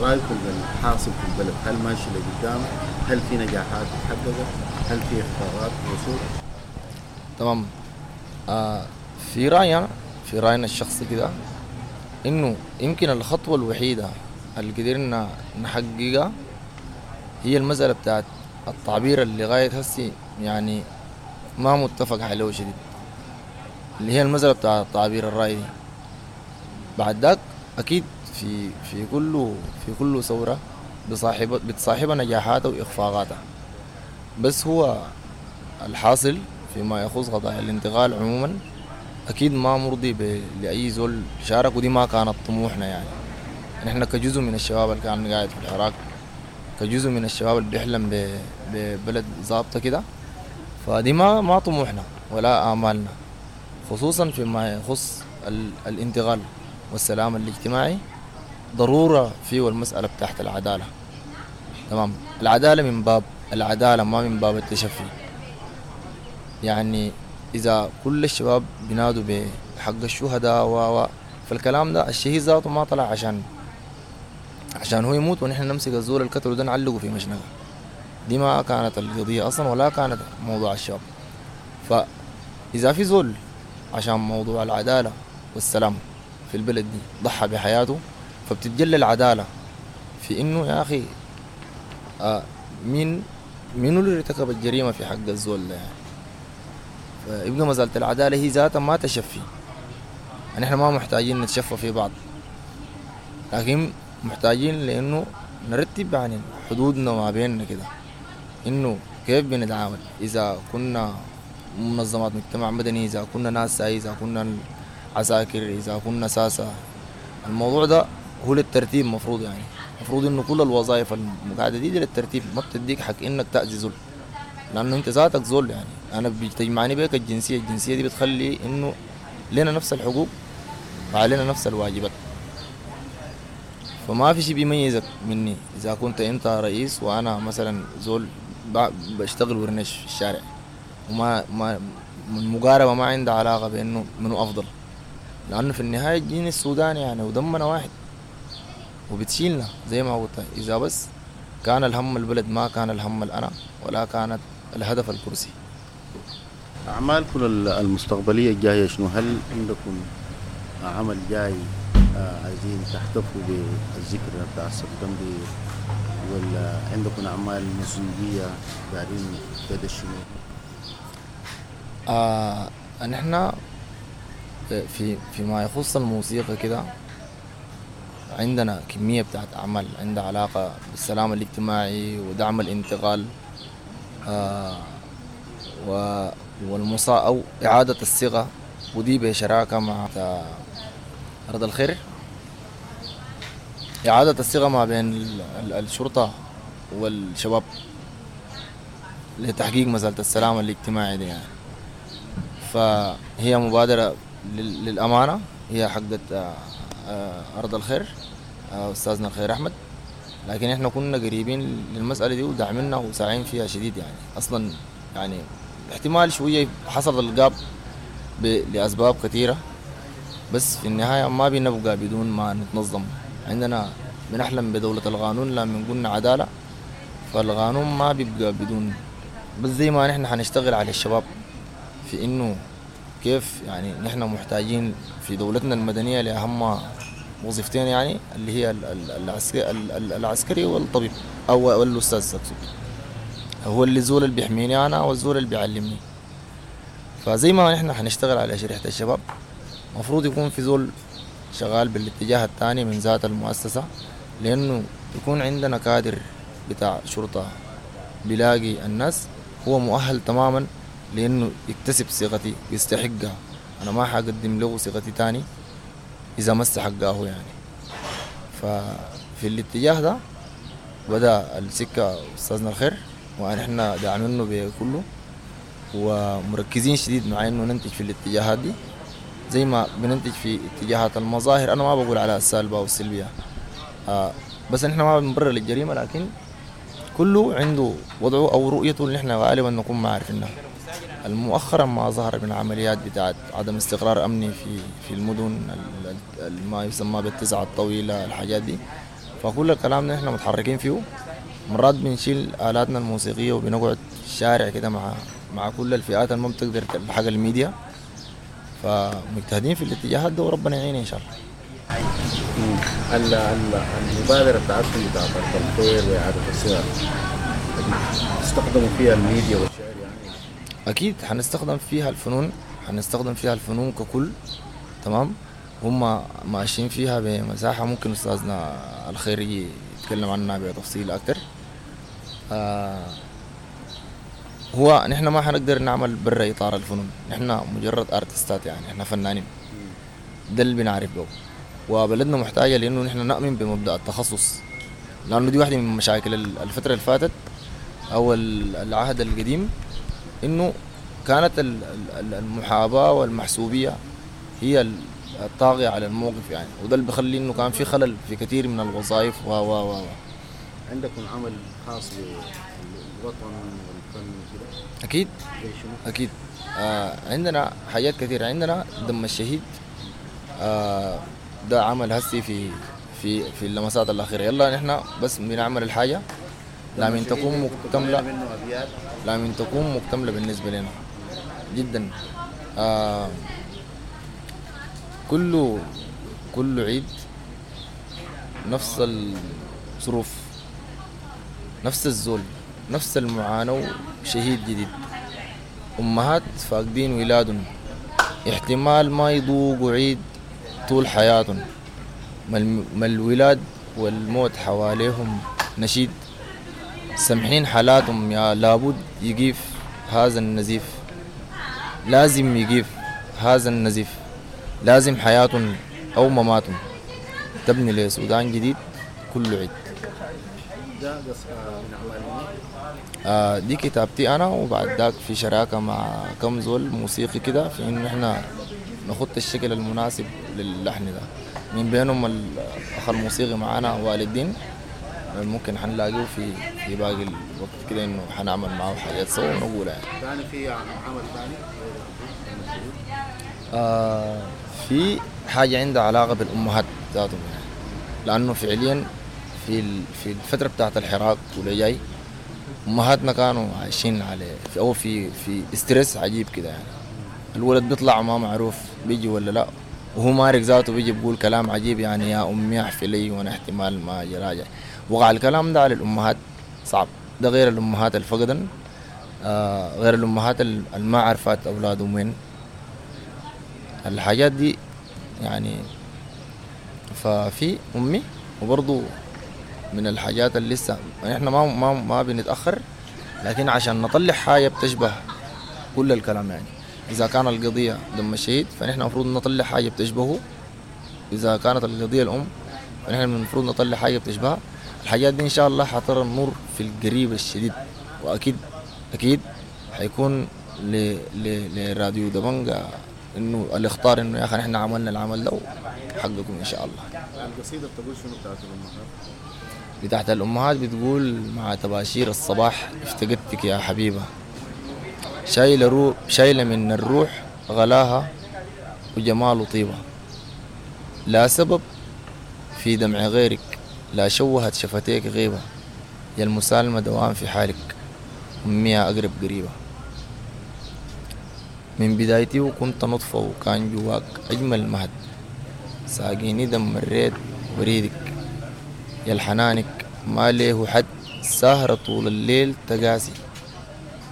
رأيكم للحاصل في البلد؟ هل ماشي لقدام؟ هل في نجاحات اتحققت؟ هل في إخفاقات وصول؟ تمام. في رأينا، في رأينا الشخصي كده، إنه يمكن الخطوة الوحيدة اللي قدرنا نحققها هي المسألة بتاعت التعبير اللي لغاية هسي يعني ما متفق عليه شديد، اللي هي المسألة بتاعت التعبير الرأي دي. بعد ذاك أكيد في كل ثورة بتصاحبها نجاحاتها وإخفاقاتها، بس هو الحاصل فيما يخص قضايا الانتقال عموما أكيد ما مرضي لأي زول شارك، ودي ما كانت طموحنا يعني. نحن كجزء من الشباب اللي كان قاعد في العراق، كجزء من الشباب اللي بيحلم ببلد ظابطة كده، فدي ما طموحنا ولا آمالنا، خصوصا فيما يخص الانتقال والسلام الاجتماعي. ضرورة فيه المسألة بتاعت العدالة. تمام، العدالة من باب العدالة ما من باب التشفي. يعني إذا كل الشباب بينادوا بحق الشهداء و فالكلام ده الشهيد ذاته ما طلع عشان هو يموت ونحن نمسك الزول الكتل وده نعلقه في مشنقه. دي ما كانت القضية أصلا ولا كانت موضوع الشباب. فإذا في زول عشان موضوع العدالة والسلام في البلد دي ضحى بحياته، فبتتجلى العدالة في إنه يا أخي مين اللي ارتكب الجريمة في حق الزول ده يعني. فيبقى مسألة العدالة هي ذاتها ما تشفي. يعني احنا ما محتاجين نتشفى في بعض، لكن محتاجين لأنه نرتب يعني حدودنا ما بيننا كده، إنه كيف بنتعامل إذا كنا منظمات مجتمع مدني، إذا كنا ناس، إذا كنا عساكر، إذا كنا ساسة. الموضوع ده هو للترتيب مفروض، يعني مفروض إنه كل الوظائف المقعدة دي للترتيب، ما بتديك حق إنك تأذي زول، لأنه أنت ذاتك زول يعني. أنا بتجمعني بيك الجنسية، الجنسية دي بتخلي إنه لنا نفس الحقوق وعلينا نفس الواجبات، فما في شيء بيميزك مني إذا كنت أنت رئيس وأنا مثلا زول بشتغل ورنش في الشارع، وما ما المقاربة ما عندها علاقة بإنه منو أفضل، لأنه في النهاية الجين السوداني يعني ودمنا واحد وبتشيلنا زي ما قلت. إذا بس كان الهم البلد ما كان الهم الأنا ولا كانت الهدف الكرسي. أعمالكم المستقبلية الجاية شنو؟ هل عندكم عمل جاي عايزين تحتفوا بالذكرى بتاع سبتمبر، ولا عندكم أعمال موسيقية دارين تدشنوا؟ نحن فيما يخص الموسيقى كده عندنا كمية بتاعت أعمال عندها علاقة بالسلام الاجتماعي ودعم الانتقال أو إعادة الصيغة، ودي بشراكة مع أرض الخير. إعادة الصيغة ما بين الشرطة والشباب لتحقيق مسألة السلام الاجتماعي دي يعني. فهي مبادرة للأمانة، هي حقت أرض الخير أستاذنا الخير أحمد، لكن إحنا كنا قريبين للمسألة دي ودعمنا وساعين فيها شديد يعني. أصلا يعني احتمال شوية حصل القاب لأسباب كثيرة، بس في النهاية ما بنبقى بدون ما نتنظم. عندنا بنحلم بدولة القانون لما قلنا عدالة، فالقانون ما بيبقى بدون. بس زي ما نحن حنشتغل على الشباب في إنه كيف يعني نحن محتاجين في دولتنا المدنية لأهم وظيفتين يعني، اللي هي العسكري والطبيب أو الأستاذ أقصد، هو اللي زول اللي بيحميني أنا والزول اللي بيعلمني. فزي ما نحن حنشتغل على شريحة الشباب، مفروض يكون في زول شغال بالاتجاه الثاني من ذات المؤسسة، لأنه يكون عندنا كادر بتاع شرطة بيلاقي الناس هو مؤهل تماما لأنه يكتسب صيغتي ويستحقها. أنا ما حقدم له صيغتي تاني إذا ما استحقاه يعني. ففي الاتجاه ده بدأ السكة أستاذنا الخير، ونحن داعمينه بكله ومركزين شديد مع إنه ننتج في الاتجاهات دي زي ما بننتج في اتجاهات المظاهر. أنا ما بقول على السالبة أو السلبية، بس نحن ما بنبرر للجريمة، لكن كله عنده وضعه أو رؤيته اللي نحن غالبا نكون ما عارفينها. مؤخرا ما ظهر من عمليات بتاعت عدم استقرار أمني في المدن، ما يسمى بالتسعة الطويلة، الحاجات دي. فكل الكلام ده نحن متحركين فيه. مرات بنشيل آلاتنا الموسيقية وبنقعد في الشارع كده مع كل الفئات اللي ما بتقدر تلحق الميديا، فمجتهدين في الاتجاهات ده وربنا يعين إن شاء الله. المبادرة بتاعتكم بتاعت الخير وإعادة الصيغ تستخدموا فيها الميديا والشعر يعني؟ أكيد حنستخدم فيها الفنون، حنستخدم فيها الفنون ككل، تمام. هم ماشيين فيها بمساحة ممكن أستاذنا الخير يتكلم عنها بتفصيل أكتر. هو نحن ما حنقدر نعمل برا إطار الفنون، نحن مجرد أرتستات يعني، نحن فنانين، ده اللي بنعرف به. وبلدنا محتاجة لأنه نحن نؤمن بمبدأ التخصص، لأنه دي واحدة من مشاكل الفترة اللي فاتت أو العهد القديم، إنه كانت المحاباة والمحسوبية هي الطاغية على الموقف يعني، وده اللي بخلي إنه كان في خلل في كثير من الوظائف و و و عندكم عمل خاص بالوطن والفن وكده؟ أكيد أكيد. عندنا حاجات كثيرة. عندنا دم الشهيد، ده عمل هسي في في في اللمسات الأخيرة. يلا نحن بس بنعمل الحاجة لا من تكون مكتملة، لا من تكون مكتملة بالنسبة لنا جدا. كل عيد نفس الظروف، نفس الزول، نفس المعاناة، شهيد جديد، أمهات فاقدين ولادهم، احتمال ما يذوقوا عيد طول حياتهم، ما الولاد والموت حواليهم نشيد، سمحين حالاتهم يا لابد يقيف هذا النزيف، لازم يقيف هذا النزيف، لازم حياتهم أو مماتهم تبني لسودان جديد كل عيد. ده من أعمال دي كتابتي أنا، وبعد ذاك في شراكة مع كم زول موسيقي كده في إنه إحنا نخط الشكل المناسب للحن ده، من بينهم الأخ الموسيقي معانا والدين، ممكن حنلاقيه في باقي الوقت كده إنه حنعمل معه حاجات سوا ونقولها يعني. ثاني في عمل ثاني؟ في حاجة عندها علاقة بالأمهات ذاتهم يعني، لأنه فعليا في الفترة بتاعت الحراك واللي جاي أمهاتنا كانوا عايشين على في في ستريس عجيب كده يعني. الولد بيطلع ما معروف بيجي ولا لا، وهو مارق ذاته بيجي بيقول كلام عجيب يعني، يا أمي احفي لي وأنا احتمال ما أجي راجع. وقع الكلام ده على الأمهات صعب، ده غير الأمهات الفقدن، غير الأمهات اللي ما عرفات أولادهم وين الحاجات دي يعني. ففي أمي، وبرضو من الحاجات اللي لسه احنا ما ما ما بنتأخر، لكن عشان نطلع حاجة بتشبه كل الكلام يعني. إذا كان القضية دم الشهيد فنحن المفروض نطلع حاجة بتشبهه، إذا كانت القضية الأم فنحن المفروض نطلع حاجة بتشبهها. الحاجات دي إن شاء الله حترى النور في القريب الشديد، وأكيد أكيد حيكون لراديو دبنجة إنه الاختار إنه يا أخي نحن عملنا العمل ده حقكم إن شاء الله. القصيدة بتقول شنو بتاعت الأمهات؟ بتاعت الأمهات بتقول: مع تباشير الصباح افتقدتك يا حبيبة، شايلة من الروح غلاها وجمال وطيبة، لا سبب في دمع غيرك، لا شوهت شفتيك غيبة، يا المسالمة دوام في حالك، أمي أقرب قريبة. من بدايتي وكنت نطفة وكان جواك أجمل مهد، ساقيني دم الريد وريدك، يا الحنانك ما ليه حد، ساهرة طول الليل تقاسي،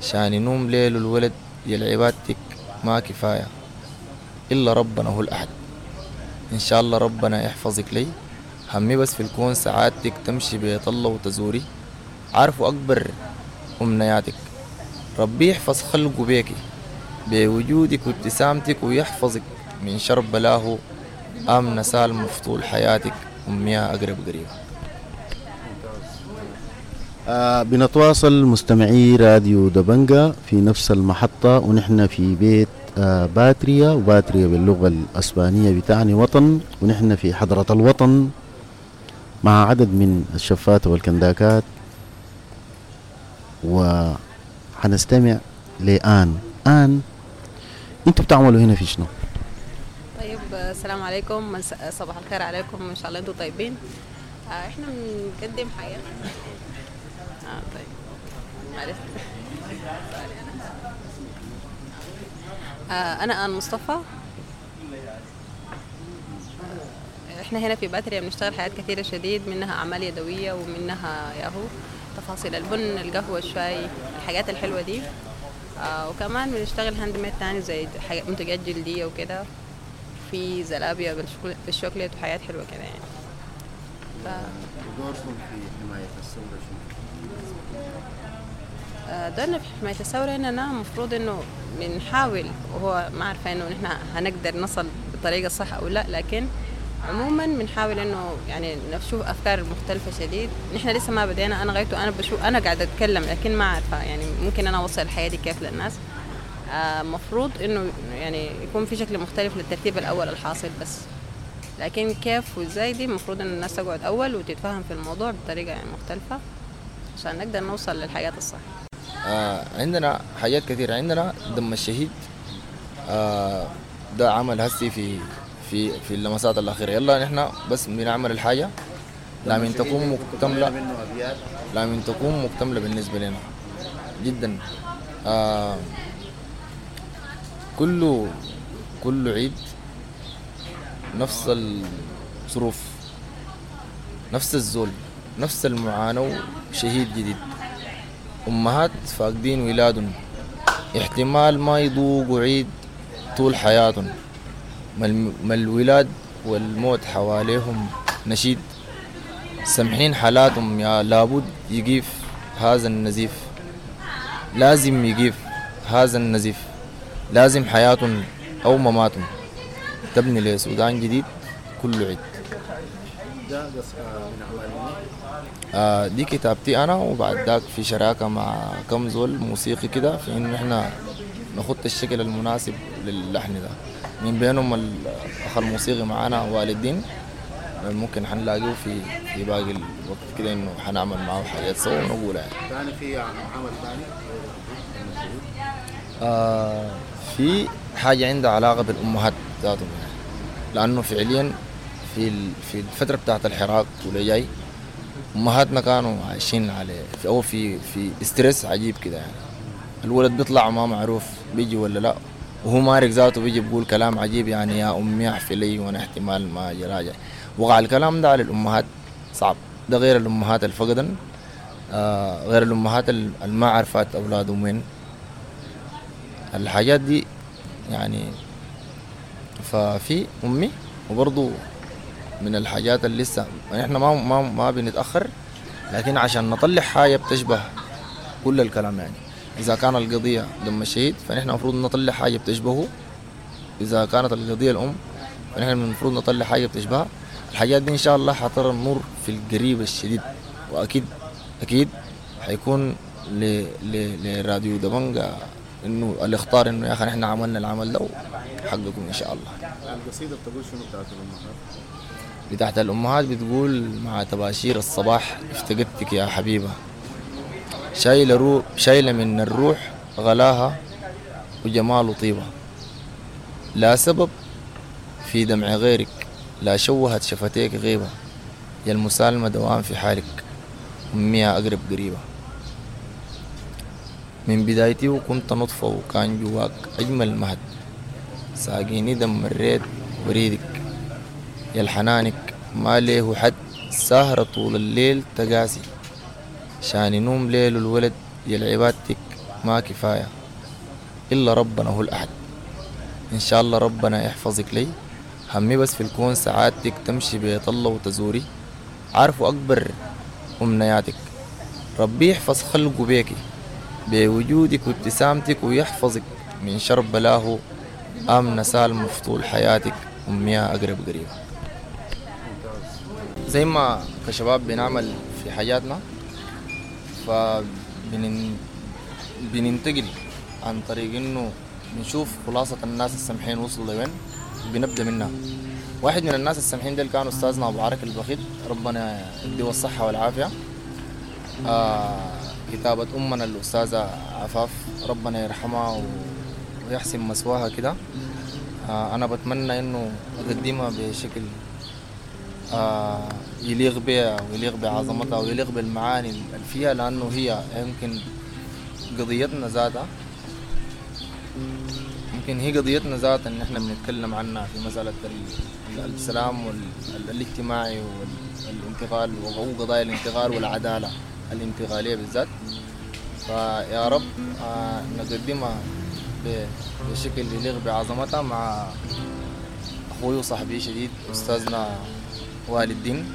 شان نوم ليل الولد، يا العبادتك ما كفاية إلا ربنا هو الأحد. إن شاء الله ربنا يحفظك لي، همي بس في الكون سعادتك تمشي بيت الله وتزوري، عارفه أكبر أمنياتك، ربي يحفظ خلقه بيكي بوجودك وابتسامتك، ويحفظك من شر بلاه، آمنة سالمة في طول حياتك، أميها أقرب قريبة. بنتواصل مستمعي راديو دبنجة في نفس المحطة، ونحن في بيت باتريا، وباتريا باللغة الأسبانية بتعني وطن، ونحن في حضرة الوطن مع عدد من الشفات والكنداكات، وحنستمع لآن. آن، انتوا بتعملوا هنا في شنو؟ طيب، السلام عليكم، صباح الخير عليكم، ان شاء الله انتم طيبين. احنا بنقدم حاجة. طيب معلش. انا آن مصطفى. احنا هنا في باتريا بنشتغل حاجات كثيرة شديد، منها اعمال يدوية ومنها ياهو تفاصيل البن، القهوة، الشاي، الحاجات الحلوة دي. وكمان بنشتغل handmade تاني زي منتجات جلدية وكده، في زلابيا بالشوكليت وحاجات حلوة كده يعني. ودوركم في حماية الثورة شنو؟ دورنا في حماية الثورة إننا المفروض إنه بنحاول، وهو ما عارفة إنه نحن هنقدر نصل بالطريقة الصح أو لا، لكن عموما بنحاول إنه يعني نشوف أفكار مختلفة شديد. نحن لسه ما بدينا، أنا غايته أنا بشوف، أنا قاعدة أتكلم لكن ما عارفة يعني ممكن أنا أوصل الحياة دي كيف للناس. مفروض إنه يعني يكون في شكل مختلف للترتيب الأول الحاصل بس، لكن كيف وإزاي دي المفروض إن الناس تقعد أول وتتفهم في الموضوع بطريقة يعني مختلفة عشان نقدر نوصل للحاجات الصح. عندنا حاجات كثيرة. عندنا دم الشهيد، ده عمل هسي في في في اللمسات الأخيرة. يلا نحن بس بنعمل الحاجة لا من تكون مكتملة، لا من تكون مكتملة بالنسبة لنا جدا. كل عيد نفس الظروف، نفس الذل، نفس المعاناة، شهيد جديد، أمهات فاقدين ولادهم، احتمال ما يذوقوا عيد طول حياتهم، ما الولاد والموت حواليهم نشيد، سمحين حالاتهم يا لابد يقيف هذا النزيف، لازم يقيف هذا النزيف، لازم حياتهم أو مماتهم تبني لسودان جديد كل عيد. ده من أعمال دي كتابتي أنا، وبعد ذاك في شراكة مع كم زول موسيقي كده في إنه إحنا نخط الشكل المناسب للحن ده، من بينهم الأخ الموسيقي معانا والدين، ممكن حنلاقيه في باقي الوقت كده إنه حنعمل معه حاجات سوا ونقولها يعني. ثاني في عمل ثاني؟ في حاجة عندها علاقة بالأمهات ذاتهم يعني، لأنه فعليا في الفترة بتاعت الحراك واللي جاي أمهاتنا كانوا عايشين على في في ستريس عجيب كده يعني. الولد بيطلع ما معروف بيجي ولا لا، وهو مارق ذاته بيجي بيقول كلام عجيب يعني، يا أمي احفي لي وأنا احتمال ما أجي راجع. وقع الكلام ده على الأمهات صعب، ده غير الأمهات الفقدن، غير الأمهات اللي ما عرفات أولادهم وين الحاجات دي يعني. ففي أمي، وبرضو من الحاجات اللي لسه احنا ما ما ما بنتأخر، لكن عشان نطلع حاجة بتشبه كل الكلام يعني. إذا كان القضية دم الشهيد فنحن المفروض نطلع حاجة بتشبهه، إذا كانت القضية الأم فنحن المفروض نطلع حاجة بتشبهها. الحاجات دي إن شاء الله حترى النور في القريب الشديد، وأكيد أكيد حيكون لراديو دبنجة إنه الاختار إنه يا أخي نحن عملنا العمل ده حقكم إن شاء الله. القصيدة بتقول شنو بتاعت الأمهات؟ بتاعت الأمهات بتقول: مع تباشير الصباح افتقدتك يا حبيبة، شايلة من الروح غلاها وجمال وطيبة، لا سبب في دمع غيرك، لا شوهت شفتيك غيبة، يا المسالمة دوام في حالك، أمي أقرب قريبة. من بدايتي وكنت نطفة وكان جواك أجمل مهد، ساقيني دم الريد وريدك، يا الحنانك ما ليه حد، ساهرة طول الليل تقاسي، شان نوم ليل الولد، يا عبادتك ما كفاية إلا ربنا هو الأحد. إن شاء الله ربنا يحفظك لي، همي بس في الكون سعادتك تمشي بيت الله وتزوري، عارفه أكبر أمنياتك، ربي يحفظ خلقه بيكي بوجودك وابتسامتك، ويحفظك من شر بلاه، آمنة سالمة في طول حياتك، أميها أقرب قريبة. زي ما كشباب بنعمل في حياتنا، فبننتقل عن طريق إنه بنشوف خلاصة الناس السمحين وصلوا لوين بنبدأ منها. واحد من الناس السمحين ديل كان أستاذنا أبو عركي البخيت، ربنا يديه الصحة والعافية. كتابة أمنا الأستاذة عفاف، ربنا يرحمها ويحسن مسواها كده. أنا بتمنى إنه أقدمها بشكل يليق بها ويليق بعظمتها ويليق بالمعاني اللي فيها، لأنه هي يمكن قضيتنا ذاتها، يمكن هي قضيتنا ذاتها إن إحنا بنتكلم عنها في مسألة السلام والاجتماعي والانتقال وقضايا الانتقال والعدالة الانتقالية بالذات. فيا رب نقدمها بشكل يليق بعظمتها مع أخوي وصاحبي شديد أستاذنا والي الدين.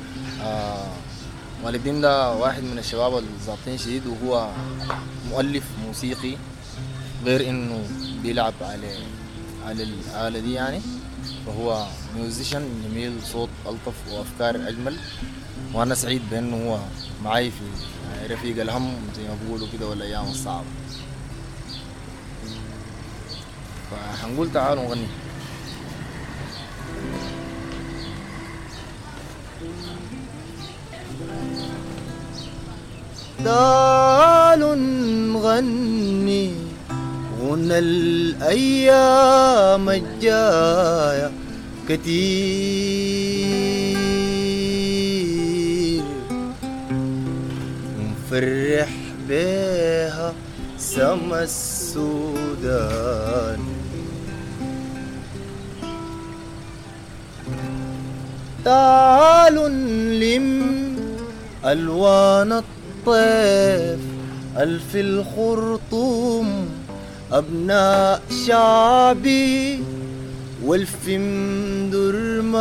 والي الدين ده واحد من الشباب الظابطين شديد، وهو مؤلف موسيقي غير إنه بيلعب على الآلة دي يعني، فهو ميوزيشن جميل، صوت ألطف وأفكار أجمل. وأنا سعيد بأنه هو معي في رفيق الهم زي ما بيقولوا كده والأيام الصعبة. فحنقول تعالوا نغني. تعالوا نغني غنى الأيام الجاية كتير، ونفرح بيها سما السودان. تعالوا نلم ألوان الطيف ألف الخرطوم أبناء شعبي والف درمان.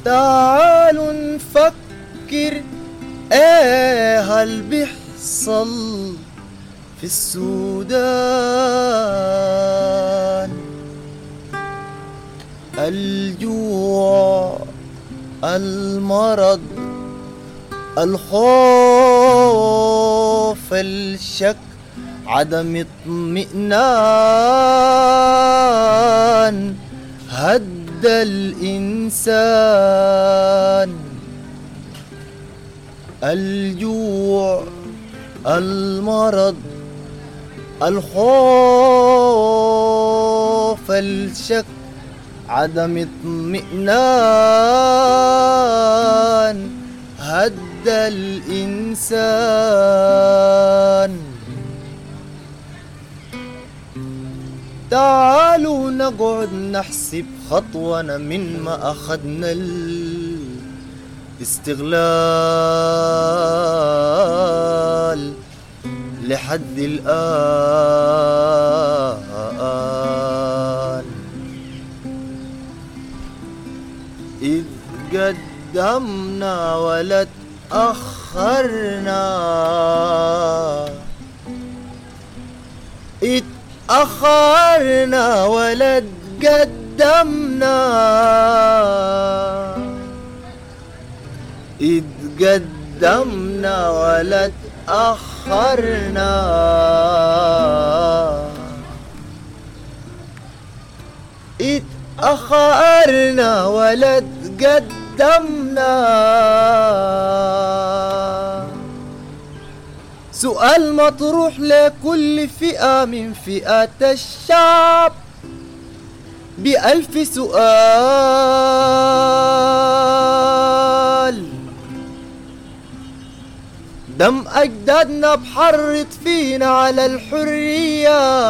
تعالوا نفكر ايه هل بيحصل في السودان، الجوع، المرض، الخوف، الشك، عدم اطمئنان، هد الإنسان. الجوع، المرض، الخوف، الشك، عدم اطمئنان، هد الإنسان. تعالوا نقعد نحسب خطونا من ما أخذنا الاستغلال لحد الآن. إذ قدمنا ولا تأخرنا، اتأخرنا ولا تقدمنا، اتقدمنا ولا تأخرنا، اتأخرنا ولا تقدمنا. سؤال مطروح لكل فئة من فئات الشعب بألف سؤال، دم أجدادنا بحرض فينا على الحرية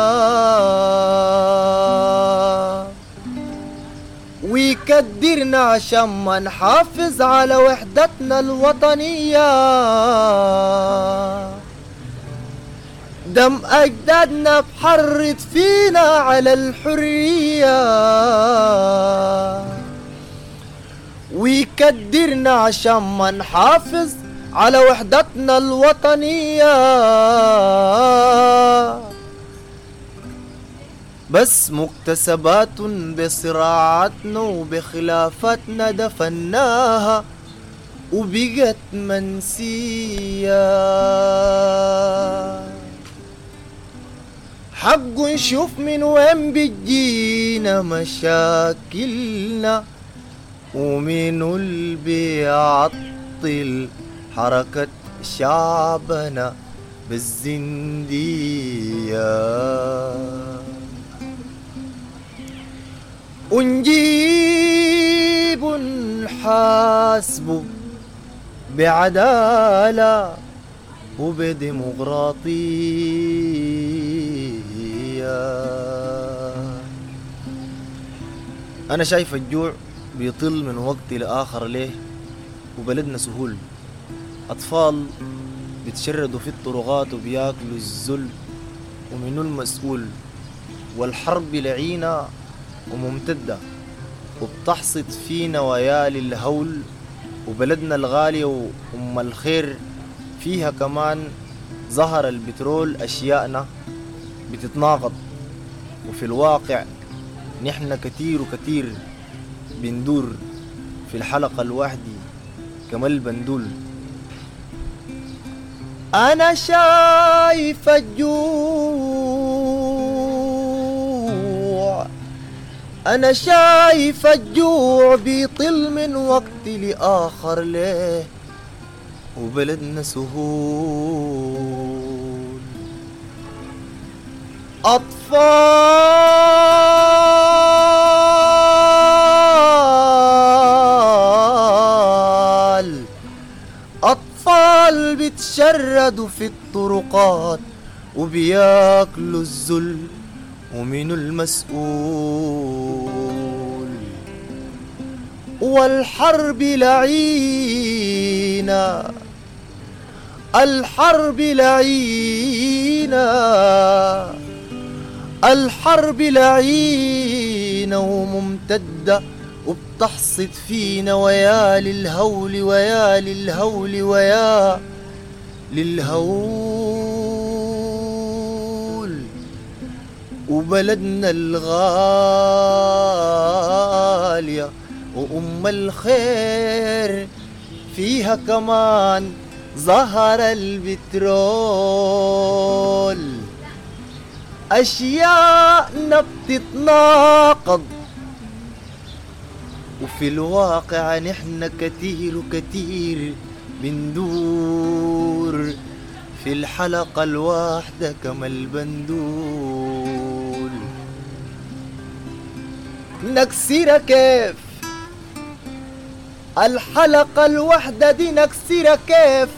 ويكدرنا عشان ما نحافظ على وحدتنا الوطنية. دم أجدادنا بحرض فينا على الحرية ويكدرنا عشان ما نحافظ على وحدتنا الوطنية. بس مكتسبات بصراعاتنا وبخلافتنا دفناها وبقت منسية. حق نشوف من وين بتجينا مشاكلنا، ومنو اللي بيعطل حركة شعبنا بالزندية. ونجيب نحاسبه بعدالة وبديمقراطية. أنا شايف الجوع بيطل من وقت لآخر ليه، وبلدنا سهول، أطفال بيتشردوا في الطرقات وبياكلوا الذل، ومنو المسؤول؟ والحرب لعينة وممتدة وبتحصد فينا ويالي الهول، وبلدنا الغالية وأم الخير فيها كمان ظهر البترول، أشياءنا بتتناقض، وفي الواقع نحن كتير وكتير بندور في الحلقة الواحدة كما البندول. أنا شايف الجوع، أنا شايف الجوع بيطل من وقت لآخر ليه، وبلدنا سهول، أطفال بيتشردوا في الطرقات وبياكلوا الذل، ومن المسؤول؟ والحرب لعينة، الحرب لعينة، الحرب لعينة وممتدة وبتحصد فينا ويا للهول، ويا للهول، ويا للهول، وبلدنا الغالية وأم الخير فيها كمان ظهر البترول، أشياءنا بتتناقض، وفي الواقع نحن كتير وكتير بندور في الحلقة الواحدة كما البندول. نكسرها كيف الحلقة الواحدة دي، نكسرها كيف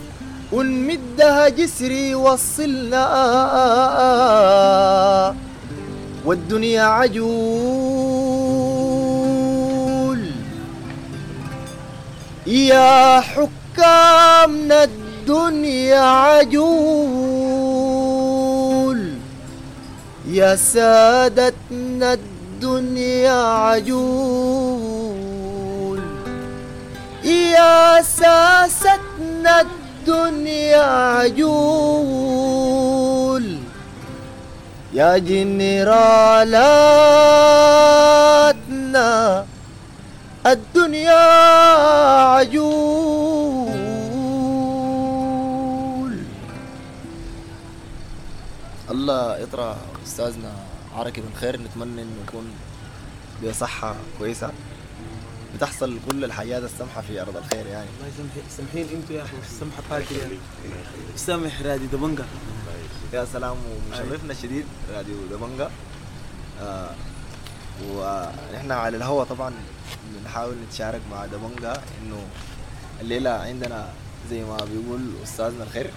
ونمدها جسري وصلنا، والدنيا عجول. يا حكامنا الدنيا عجول، يا سادتنا الدنيا عجول، يا ساستنا الدنيا عجول، يا جنرالاتنا الدنيا عجول. الله يطرى أستاذنا عركي بن خير، نتمنى إنه يكون بصحة كويسة، بتحصل كل الحاجات السمحة في أرض الخير يعني. الله يسامحين، سامحين انتوا يا أخي، السمحة باتريا يعني. سامح راديو دبنجة، يا سلام، ومشرفنا الشديد راديو دبنجة. ونحن على الهوا طبعا بنحاول نتشارك مع دبنجة إنه الليلة عندنا زي ما بيقول أستاذنا الخير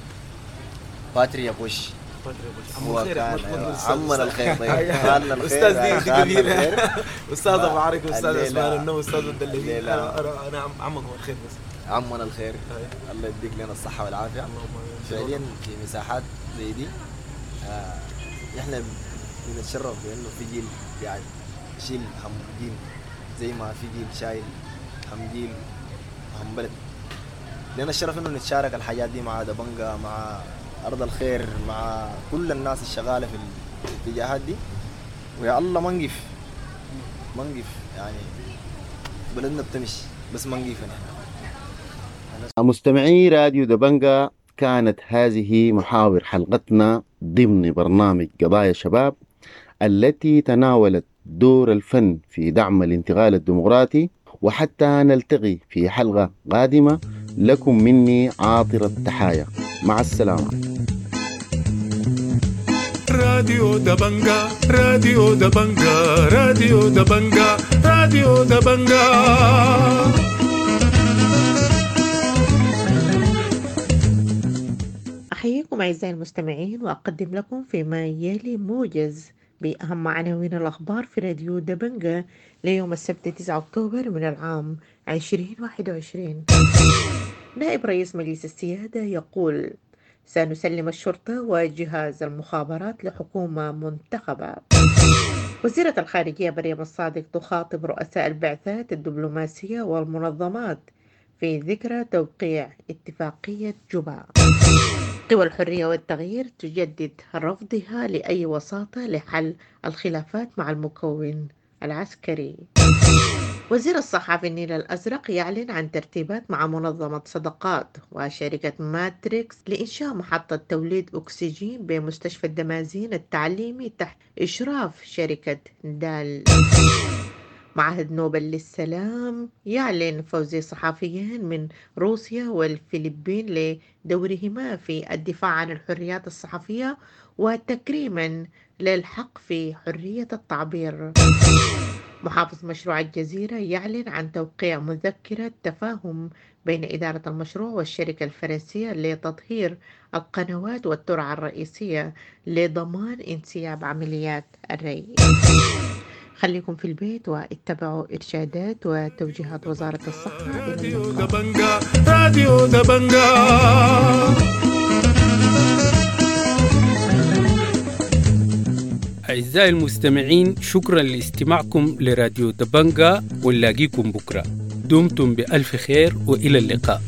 باتريا بوش. هو كان عمنا الخير، طيب خالنا الخير، استاذ دي كبيرة، استاذ ابو عركي، استاذ عثمان النو، استاذ الدليل. انا عمكم الخير، بس عمنا الخير، الله يديك لنا الصحة والعافية. فعليا في مساحات زي دي احنا بنتشرف بانه في جيل يعني يشيل هم جيل، زي ما في جيل شايل هم جيل هم بلد. لنا الشرف انه نتشارك الحاجات دي مع دبنجة، مع أرض الخير، مع كل الناس الشغالة في الاتجاهات دي. ويا الله ما نقف، ما نقف يعني، بلدنا بتمشي بس ما نقف نحن. مستمعي راديو دبنجة، كانت هذه محاور حلقتنا ضمن برنامج قضايا الشباب التي تناولت دور الفن في دعم الانتقال الديمقراطي. وحتى نلتقي في حلقة قادمة، لكم مني عاطر التحايا، مع السلامة. راديو دبنجا، راديو دبنجا، راديو دبنجا، راديو دبنجا. أحييكم أعزائي المستمعين، وأقدم لكم فيما يلي موجز بأهم عناوين الأخبار في راديو دبنجا ليوم السبت 9 أكتوبر من العام 2021. نائب رئيس مجلس السيادة يقول: سنسلم الشرطة وجهاز المخابرات لحكومة منتخبة. وزيرة الخارجية مريم الصادق تخاطب رؤساء البعثات الدبلوماسية والمنظمات في ذكرى توقيع اتفاقية جوبا. قوى الحرية والتغيير تجدد رفضها لأي وساطة لحل الخلافات مع المكون العسكري. وزير الصحة في النيل الأزرق يعلن عن ترتيبات مع منظمة صدقات وشركة ماتريكس لإنشاء محطة توليد أكسجين بمستشفى الدمازين التعليمي تحت إشراف شركة دال. معهد نوبل للسلام يعلن فوز صحفيين من روسيا والفلبين لدورهما في الدفاع عن الحريات الصحفية وتكريما للحق في حرية التعبير. محافظ مشروع الجزيرة يعلن عن توقيع مذكرة تفاهم بين إدارة المشروع والشركة الفرنسية لتطهير القنوات والترع الرئيسية لضمان انسياب عمليات الري. خليكم في البيت واتبعوا إرشادات وتوجيهات وزارة الصحة. راديو دبنجا، راديو دبنجا. أعزائي المستمعين، شكرا لاستماعكم لراديو دبنجا، ونلاقيكم بكرة. دمتم بألف خير وإلى اللقاء.